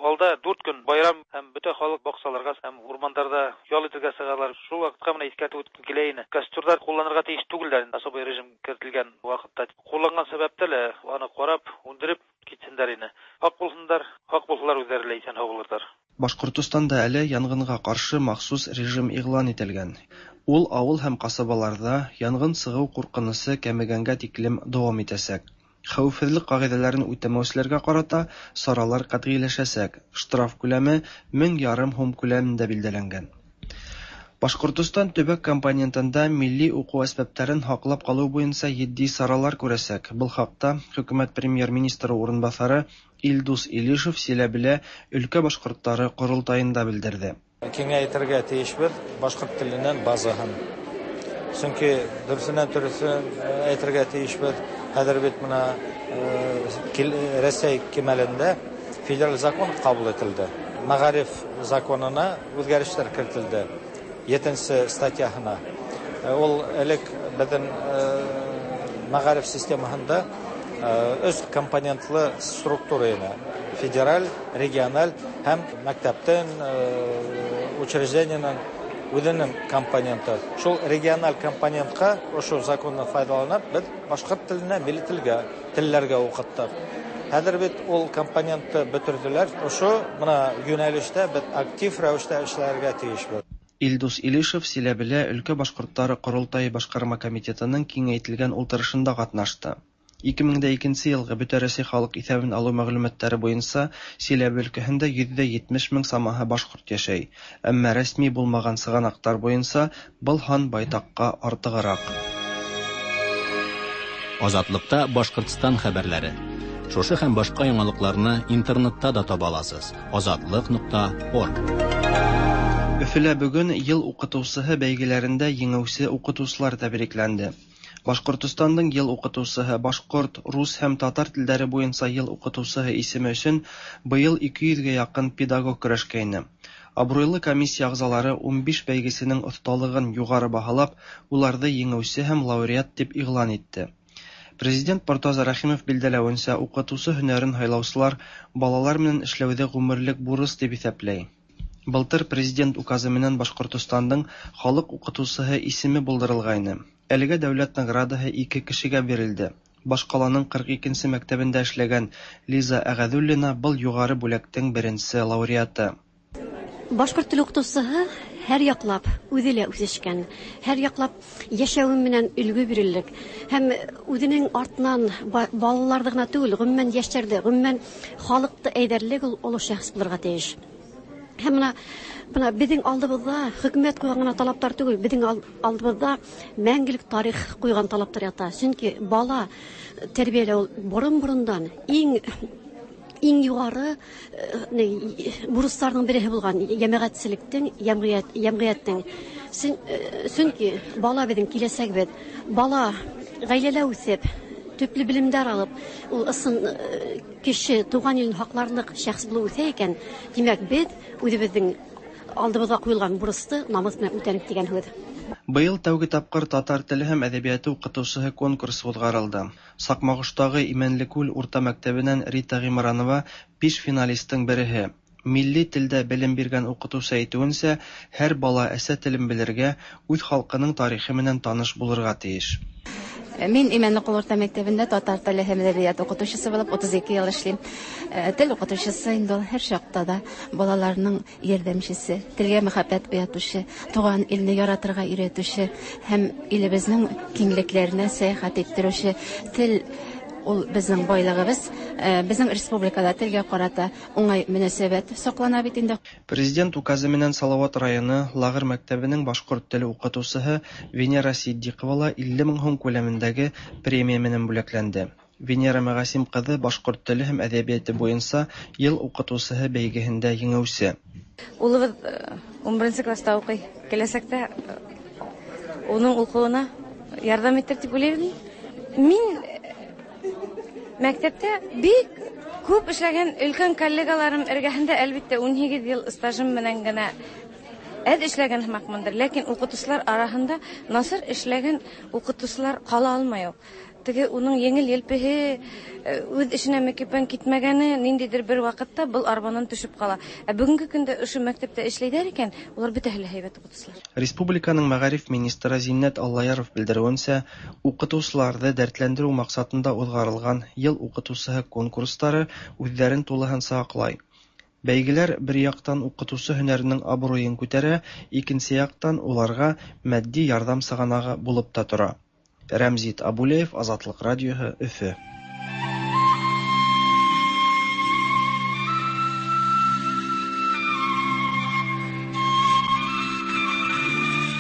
Алда дүрт көн байрам һәм бөтә халыҡ баҡсаларға һәм урмандарҙа ял итергә сығалар. Шул ваҡытҡа менә иҫкәртеп үткем килә ине. Костерҙар ҡулланырға тейеш түгелдәр инде, особый режим кертелгән ваҡытта. Ҡулланған сәбәптә лә аны ҡарап, һүндереп китһендәр ине. Һаҡ булһындар, һаҡ булһалар үҙҙәре лә иҫән һау булырҙар. Башҡортостанда әле янғынға ҡаршы махсус режим иғлан ителгән. Ул ауыл һәм ҡасабаларҙа янғын сығыу ҡурҡынысы кәмегәнгә тиклем дауам итәсәк. Хәүефһеҙлек ҡағиҙәләрен үтәмәүселәргә ҡарата саралар ҡәтғиләшәсәк. Штраф күләме мең ярым һум күләмендә билдәләнгән. Башҡортостан төбәк компонентында милли уҡыу әсбаптарын һаҡлап ҡалыу буйынса етди саралар күрәсәк. Был хаҡта хөкүмәт премьер-министры урынбаҫары Илдус Илишев Силәбелә өлкә башҡорттары ҡоролтайында белдерҙе. Киңәйтергә тейешбеҙ башҡорт теленән базаһын. Сөнки дөрөҫөнән дөрөҫөн әйтергә тейешбеҙ. Хәҙер бит бына Рәсәй кимәлендә федераль закон ҡабул ителде. Мәғариф законына үҙгәрештәр кертелде. Етенсе статьяһына. Ул элек беҙҙең мәғариф системаһында өс компонентлы структура ине. Федераль, региональ һәм мәктәптең, учреждениенең үҙенең компоненты. Шул региональ компонентҡа ошо законны файҙаланып, беҙ башҡорт теленә, милли телгә, телләргә уҡыттыҡ. Хәҙер бит ул компонентты бөтөрҙөләр. Ошо бына йүнәлештә беҙ актив рәүештә эшләргә тейешбеҙ. Илдус Илишев Силәбелә өлкә башҡорттары ҡоролтайы башҡарма комитетының киңәйтелгән ултырышында ҡатнашты. ике мең дә икенсе йылғы Бөтә Рәсәй халыҡ иҫәбен алыу мәғлүмәттәре буйынса Силәбе өлкәһендә йөҙ ҙә етмеш мең самаһы башҡорт йәшәй. Әммә рәсми булмаған сығанаҡтар буйынса был һан байтаҡҡа артығыраҡ. Азатлыҡта Башҡортостан хәбәрләре. Шушы һәм башҡа яңылыҡларны интернетта да таба аласыз. азатлыҡ нуҡта орг. Өфөлә бөгөн йыл уҡытыусыһы бәйгеләрендә еңеүсе уҡытыусылар тәбрикләнде. Башҡортостандың йыл уҡытыусыһы, башҡорт, рус һәм татар телдәре буйынса йыл уҡытыусыһы исеме өсөн быйыл ике йөҙгә яҡын педагог көрәшкәйне. Абруйлы комиссия ағзалары ун биш бәйгесенең оҫталығын юғары баһалап, уларҙы еңеүсе һәм лауреат тип иғлан итте. Президент Мортаза Рәхимов билдәләвенсә, укытучы һөнәрен һайлаучылар балалар менән эшләүҙе ғүмерлек бурыс тип иҫәпләй. Былтыр президент указы менән Башҡортостандың халыҡ уҡытыусыһы исеме булдырылғайны. Әлегә дәүләт наградаһы ике кешегә бирелде. Башҡаланың ҡырҡ икенсе мәктәбендә эшләгән Лиза Әғәҙуллина был юғары бүләктең беренсе лауреаты. Башҡорт теле уҡытыусыһы һәр яҡлап үҙе лә үҫешкән, һәр яҡлап йәшәүе менән өлгө бирерлек һәм үҙенең артынан балаларҙы ғына түгел, ғөмүмән йәштәрҙе, ғөмүмән халыҡты әйҙәрлек ул оло шәхес булырға тейеш. Һәм бына бына беҙҙең алдыбыҙҙа хөкүмәт ҡуйған ғына талаптар түгел, беҙҙең алдыбыҙҙа мәңгелек тарих ҡуйған талаптар ята. Сөнки бала тәрбиәләү ул борон-борондан иң иң юғары бурыстарҙың береһе булған йәмәғәтселектең, йәмғиәт, йәмғиәттең. Сөнки бала беҙҙең киләсәгебеҙ. Бала ғаиләлә үҫеп, төплө белемдәр алып, ул ысын кеше, туған илен һаҡларлыҡ шәхес булып үҫә икән, тимәк, беҙ үҙебеҙҙең алдыбыҙға ҡуйылған бурысты намыҫ менән үтәнек тигән һүҙ. Быйыл тәүге тапҡыр татар теле һәм әҙәбиәте уҡытыусыһы конкурсы уҙғарылды. Саҡмағоштағы Имәнлекүл урта мәктәбенән Рита Ғимранова биш финалистың береһе. Милли телдә белем биргән уҡытыусы әйтеүенсә, һәр бала әсә телен белергә, үҙ халҡының тарихы менән таныш булырға тейеш. Мин Имәнлекул урта мәктәбендә татар теле һәм әҙәбиәте уҡытыусыһы булып утыҙ ике йыл эшләйем. Тел уҡытыусыһы инде ул һәр чакта да балаларның ярҙәмчесе, телгә мөхәббәт уятыусы, туған илне яратырға өйрәтүсе һәм илебезнең киңлекләренә сәяхәт иттерүсе. Тел ул безнең байлыгыбыз. Безнең республикада телгә карата уңай мөнәсәбәт саклана бит инде. Президент указы менән Салават районы Лагыр мәктәбенең башҡорт теле уҡытыусыһы Венера Сиддиҡова ла илле мең һум күләмендәге премия менән бүләкләнде. Венера Мәғәсим ҡыҙы башҡорт теле һәм әҙәбиәте буйынса йыл уҡытыусыһы бәйгеһендә еңеүсе. Улыбыҙ ун беренсе класста уҡый. Киләсәктә уның уҡыуына ярҙам итер тип уйлайым. Мин мәктәптә бик күп эшләгән өлкән коллегаларым эргәһендә, әлбиттә, ун һигеҙ йыл стажым менән генә әҙ эшләгән һымаҡмындыр. Ләкин уҡытыусылар араһында насар эшләгән уҡытыусылар ҡала алмай ул. Теге уның еңел елпеһе, үҙ эшенә мөкиббән китмәгәне ниндәйҙер бер ваҡытта был арбанан төшөп ҡала. Ә бөгөнгө көндә ошо мәктәптә эшләйҙәр икән, улар бөтәһе лә һәйбәт уҡытыусылар. Республиканың мәғариф министры Зиннәт Аллаяров белдереүенсә, уҡытыусыларҙы дәртләндереү маҡсатында уҙғарылған йыл уҡытыусыһы конкурстары үҙҙәрен тулыһынса аҡлай. Бәйгеләр бер яҡтан уҡытыусы һөнәренең абруйын күтәрә, икенсе яҡтан уларға матди ярҙам сығанағы булып та тора. Рәмзит Абулеев, Азатлыҡ радиоһы, Өфө.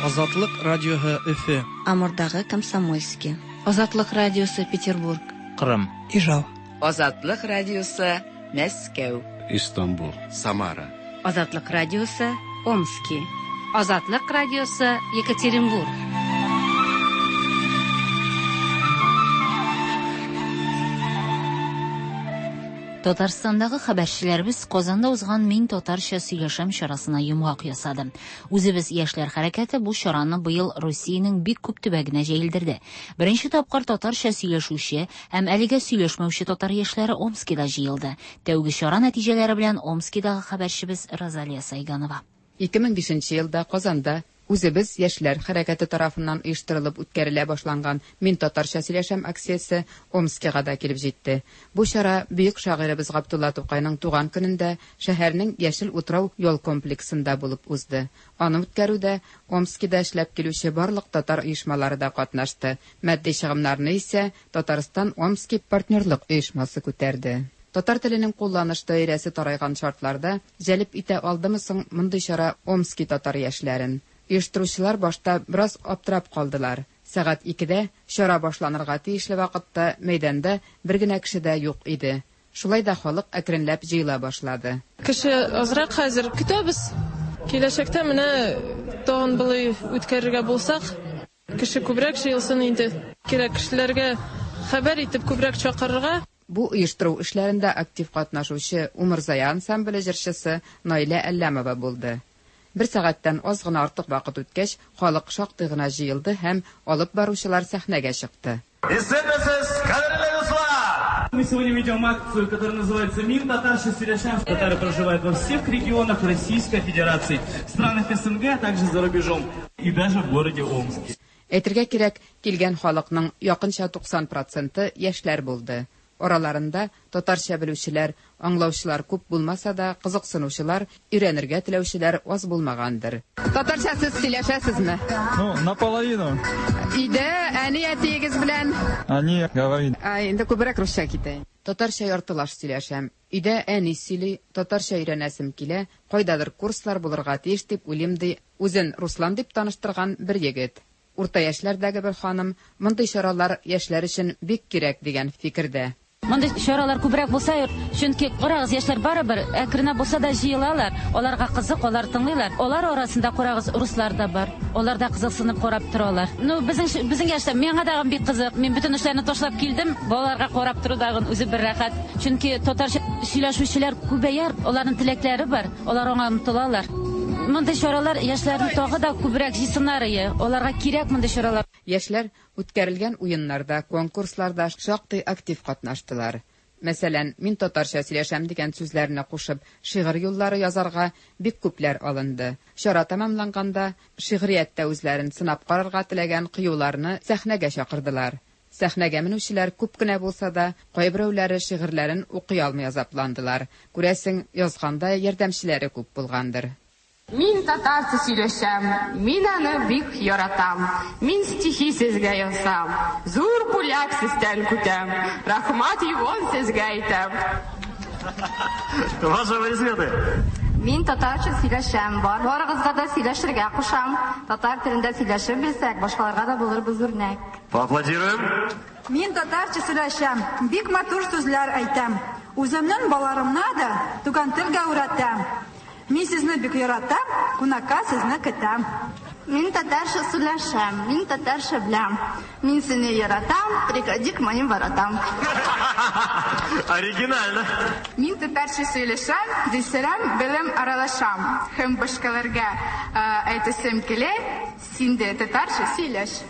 Азатлыҡ радиоһы, Өфө. Амурдағы Комсомольский. Азатлыҡ радиосы, Петербург. Ҡырым. Ижау. Азатлыҡ радиосы, Мәскәү. Истанбул. Самара. Азатлыҡ радиосы, Омски. Азатлыҡ радиосы, Екатеринбург. Татарстандагы хәбәрчеләребез Казанда узган Мин татарча сөйләшәм чарасына йомгак ясады. Үзебез яшьләр хәрәкәте бу чараны быел Русиянең бик күп төбәгенә җәелдерде. Беренче тапкыр татарча сөйләшүче һәм әлегә сөйләшмәүче татар яшьләре Омскида җыелды. Тәүге чара нәтиҗәләре белән Омскидагы хәбәрчебез Розалия Сайганова. ике мең бишенче елда Казанда Үзебез яшьләр хәрәкәте тарафыннан оештырылып үткәрелә башланган Мин татарча сөйләшәм акциясе Омскига да килеп җитте. Бу чара бөек шагыйребез Габдулла Тукайның туган көнендә шәһәрнең Яшел утрау ял комплексында булып узды. Аны үткәрүдә Омскида эшләп килүче барлык татар оешмалары да катнашты. Матди чыгымнарны исә Татарстан Омски партнерлык оешмасы күтәрде. Татар теленең кулланыш даирәсе тарайган шартларда җәлеп итә алдымы соң мондый чара Омски татар яшьләрен? Оештыручылар башта бераз аптырап калдылар. Сәгать икедә чара башланырга тиешле вакытта мәйданда бер генә кеше дә юк иде. Шулай да халык әкренләп җыела башлады. Кеше азрак хәзер көтәбез. Киләчәктә менә тагын болай үткәрергә булсак, кеше күбрәк җыелсын инде. Кирәк кешеләргә хәбәр итеп күбрәк чакырырга. Бу оештыру эшләрендә актив катнашучы Умырзая ансамбле җырчысы Наилә Әлләмова булды. Бер сәгатьтән аз гына артык вакыт үткәч, халык шактый гына җыелды һәм алып баручылар сәхнәгә чыкты. Исәнмесез, Кадерле дуслар! Мы сегодня ведем акцию, которая называется «Мин татарча сөйләшәм». Татары проживают во всех регионах Российской Федерации, в странах СНГ, а также за рубежом и даже в городе Омске. Әйтергә кирәк, килгән халыкның якынча туксан проценты яшьләр булды. Араларында татарча белүчеләр, аңлаучылар күп булмаса да, кызыксынучылар, өйрәнергә теләүчеләр аз булмагандыр. Татарча сез сөйләшәсезме? Ну, наполовину. Өйдә әни әтиегез белән? Әни говорит. Ә, инде күбрәк русча китә. Татарча яртылаш сөйләшәм. Өйдә әни сөйли, татарча өйрәнәсем килә, кайдадыр курслар булырга тиеш дип уйлыйм, ди үзен Руслан дип таныштырган бер егет. Урта яшьләрдәге бер ханым, мондый чаралар яшьләр өчен бик кирәк дигән фикердә. Мондый чаралар күбрәк булса, чөнки карагыз, яшьләр барыбер әкренләп булса да җыелалар, аларга кызык, алар тыңлыйлар. Алар арасында карагыз, руслар да бар. Алар да кызыксынып карап торалар. Ну, безнең безнең яшьтә миңа да бик кызык. Мин бөтен эшләрне ташлап килдем. Балаларга карап тору дагын үзе бер рәхәт. Чөнки татарча сөйләшүчеләр күбәяр, аларның теләкләре бар, алар аңа омтылалар. Мондый чаралар яшьләрне тагы да күбрәк җыйсыннар ие. Аларга кирәк мондый чаралар. Яшьләр үткәрелгән уеннарда, конкурсларда шактый актив катнаштылар. Мәсәлән, мин татарча сөйләшәм дигән сүзләрне кушып, шигырь юллары язарга бик күпләр алынды. Чара тәмамланганда, шигърияттә үзләрен сынап карарга теләгән кыюларны сәхнәгә чакырдылар. Сәхнәгә менүчеләр күп кенә булса да, кайберәүләре шигырьләрен укый алмый азапландылар. Күрәсең, язганда ярдәмчеләре күп булгандыр. Мин татарча сөйләшәм, мин аны бик яратам. Мин стихи сезгә язам, зур бүләк сездән көтәм. Рәхмәт югын сезгә әйтәм. Ваши аплодисменты. Мин татарча сөйләшәм, бар барыгызга да сөйләшергә кушам. Татар телендә сөйләшеп белсәк, башкаларга да булырбыз үрнәк. Поаплодируем. Мин татарча сөйләшәм, бик матур сүзләр әйтәм. Үземнең балаларымны да туган телгә өйрәтәм. Мин сезне бик яратам, кунакка сезне көтәм. Мин татарча сөйләшәм, мин татарча беләм. Мин сине яратам, приходи к моим воротам. Оригинально. Мин татарча сөйләшәм, дисерәм, белем аралашам. Һәм башкаларга әйтәсем килә, син дә татарча сөйләш.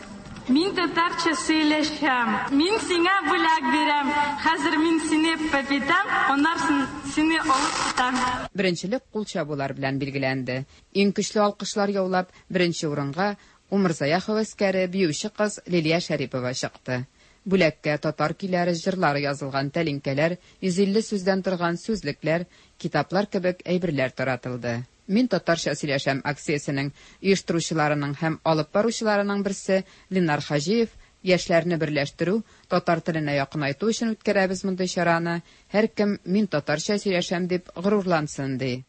Мин татарча сөйләшәм. Мин сиңа бүләк бирәм. Хәзер мин сине пәпитәм, аннан сине алып китәм. Беренчелек кул чабулар белән билгеләнде. Иң көчле алкышлар яулап, беренче урынга Умырзая һәвәскәре биюче кыз Лилия Шәрипова чыкты. Бүләккә татар көйләре, җырлары язылган тәлинкәләр, йөз илле сүздән торган сүзлекләр, китаплар кебек әйберләр таратылды. Мин татарча сөйләшәм акциясенең оештыручыларының һәм алып баручыларының берсе Ленар Хаҗиев яшьләрне берләштерү, татар теленә якынайту өчен үткәрәбез мондый чараны. Һәркем мин татарча сөйләшәм дип горурлансын, ди.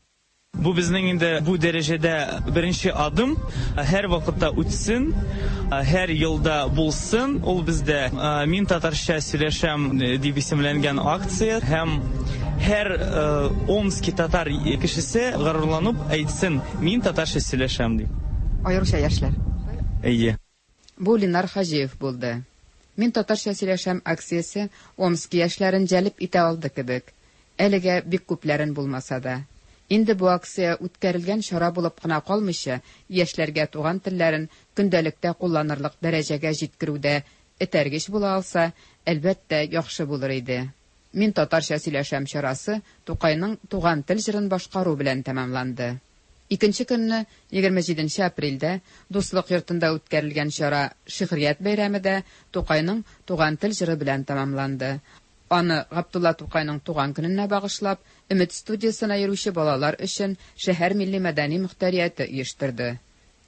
Бу безнең инде бу дәрәҗәдә беренче адым. Һәр вакытта үтсен, һәр елда булсын. Ул бездә мин татарча сөйләшәм дип исемләнгән акция һәм һәр Омски татар кешесе горурланып әйтсен, мин татарча сөйләшәм дип. Аеруча яшьләр. Әйе. Бу Ленар Хаҗиев булды. Мин татарча сөйләшәм акциясе Омски яшьләрен җәлеп итә алды кебек. Әлегә бик күпләрен булмаса да. Инде бу акция үткәрелгән чара булып кына калмыйча, яшьләргә туган телләрен көндәлектә кулланырлык дәрәҗәгә җиткерүдә этәргеч була алса, әлбәттә, яхшы булыр иде. Мин татарча сөйләшәм чарасы Тукайның туган тел җырын башкару белән тәмамланды. Икенче көнне, егерме җиденче апрельдә, Дуслык йортында үткәрелгән чара Шигърият бәйрәме дә Тукайның туган тел җыры белән тәмамланды. Аны Габдулла Тукайның туган көненә багышлап, Өмет студиясенә йөрүче балалар өчен шәһәр милли мәдәни мөхтәрияте оештырды.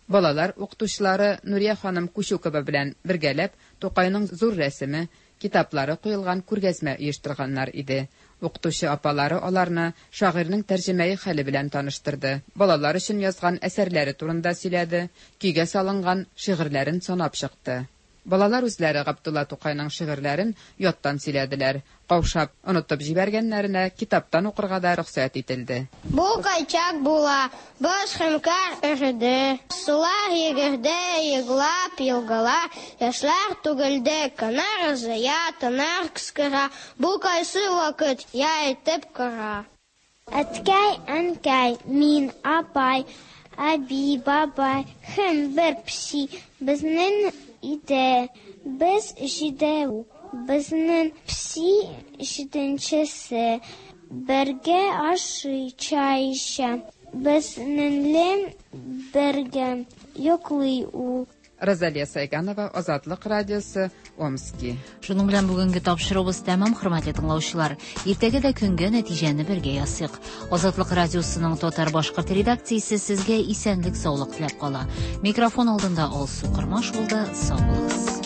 Балалар укытучылары Нурия ханым Кучукова белән бергәләп Тукайның зур рәсеме, китаплары куелган күргәзмә оештырганнар иде. Укытучы апалары аларны шагыйрьнең тәрҗемәи хәле белән таныштырды. Балалар өчен язган әсәрләре турында сөйләде, көйгә салынган шигырьләрен санап чыкты. Балалар үзләре Габдулла Тукайның шигырьләрен яттан сөйләделәр. Каушап, онытып җибәргәннәренә китаптан укырга да рөхсәт ителде. Бу кайчак була, боз һәм кар эреде, сулар йөгерде, еглап елгалар, яшьләр түгелде, канар ызая, тынар кыскара. Бу кайсы вакыт, я әйтеп кара. Әткәй, әнкәй, мин, апай, әби, бабай һәм бер песи безнең иде. Без җидәү. Безнең песи җиденчесе. Бергә ашый, чәй эчә. Безнең бергә йоклый ул. Розалия Сайганова, Азатлык радиосы, Омски. Шуның белән бүгенге тапшыруыбыз тәмам, хөрмәтле тыңлаучылар. Иртәгә дә көнгә нәтиҗәне бергә ясыйк. Азатлык радиосының татар-башкорт редакциясе сезгә исәнлек, саулык теләп кала. Микрофон алдында Алсу Кормаш булды. Сау булыгыз.